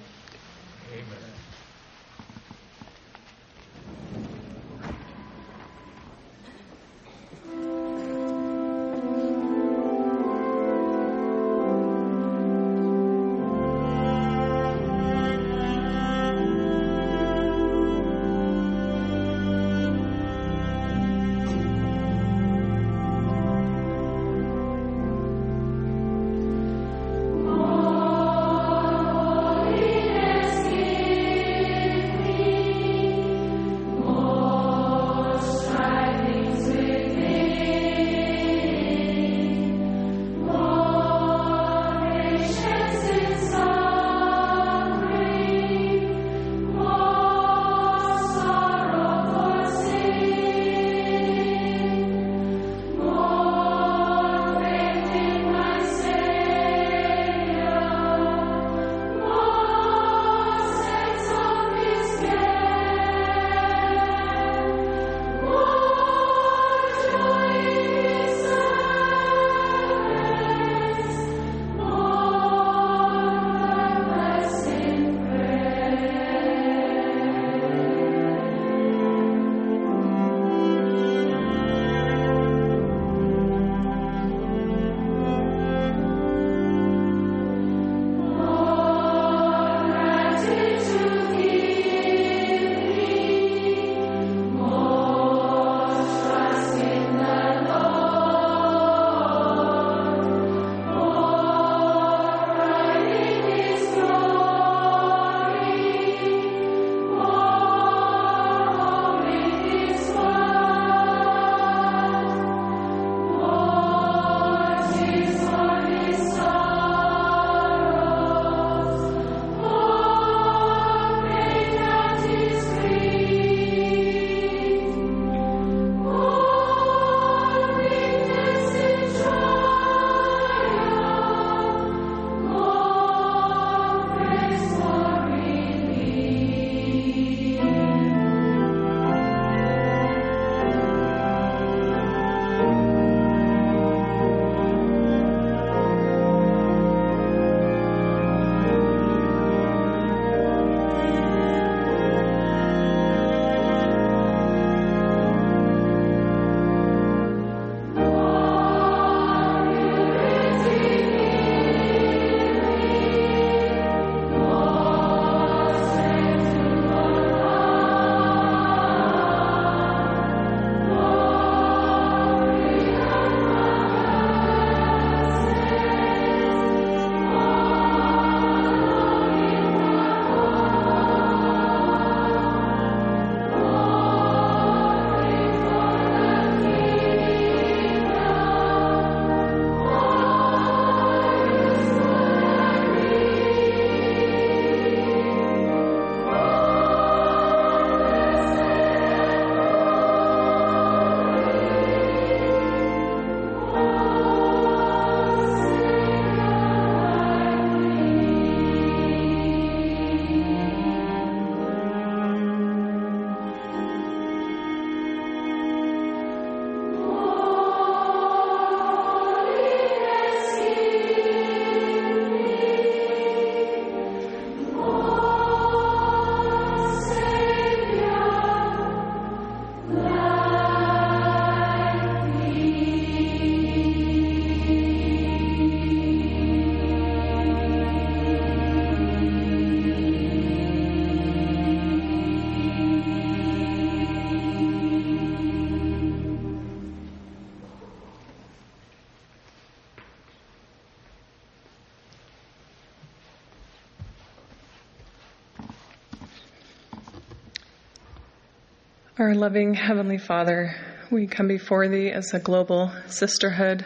Our loving Heavenly Father, we come before thee as a global sisterhood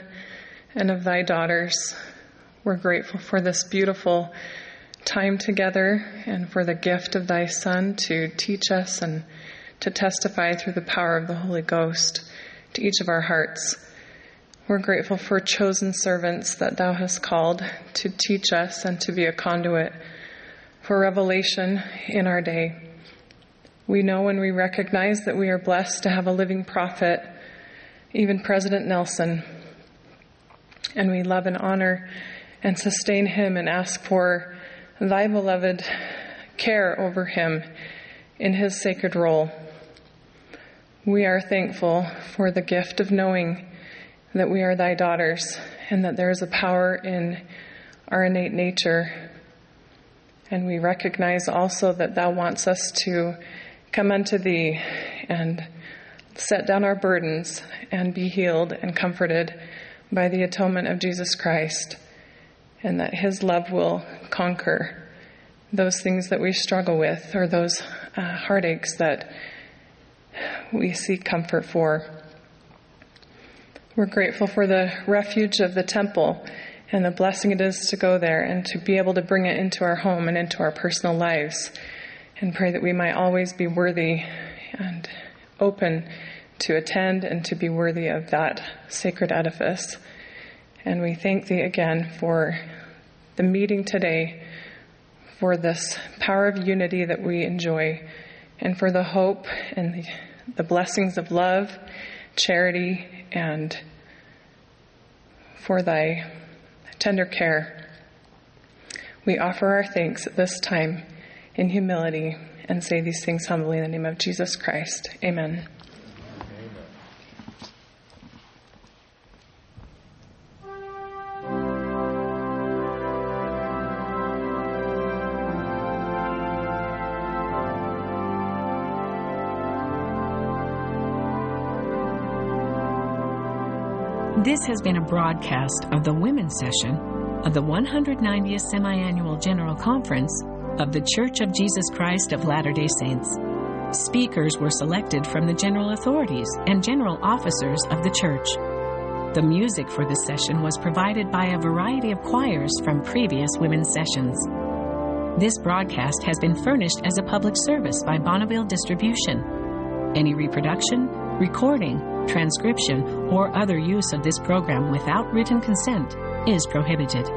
and of thy daughters. We're grateful for this beautiful time together and for the gift of thy Son to teach us and to testify through the power of the Holy Ghost to each of our hearts. We're grateful for chosen servants that thou hast called to teach us and to be a conduit for revelation in our day. We know and we recognize that we are blessed to have a living prophet, even President Nelson. And we love and honor and sustain him and ask for thy beloved care over him in his sacred role. We are thankful for the gift of knowing that we are thy daughters and that there is a power in our innate nature. And we recognize also that thou wants us to come unto thee and set down our burdens and be healed and comforted by the atonement of Jesus Christ, and that his love will conquer those things that we struggle with or those, uh, heartaches that we seek comfort for. We're grateful for the refuge of the temple and the blessing it is to go there and to be able to bring it into our home and into our personal lives, and pray that we might always be worthy and open to attend and to be worthy of that sacred edifice. And we thank thee again for the meeting today, for this power of unity that we enjoy, and for the hope and the, the blessings of love, charity, and for thy tender care. We offer our thanks at this time in humility and say these things humbly in the name of Jesus Christ. Amen. This has been a broadcast of the women's session of the one hundred ninetieth Semiannual General Conference of The Church of Jesus Christ of Latter-day Saints. Speakers were selected from the general authorities and general officers of the church. The music for this session was provided by a variety of choirs from previous women's sessions. This broadcast has been furnished as a public service by Bonneville Distribution. Any reproduction, recording, transcription, or other use of this program without written consent is prohibited.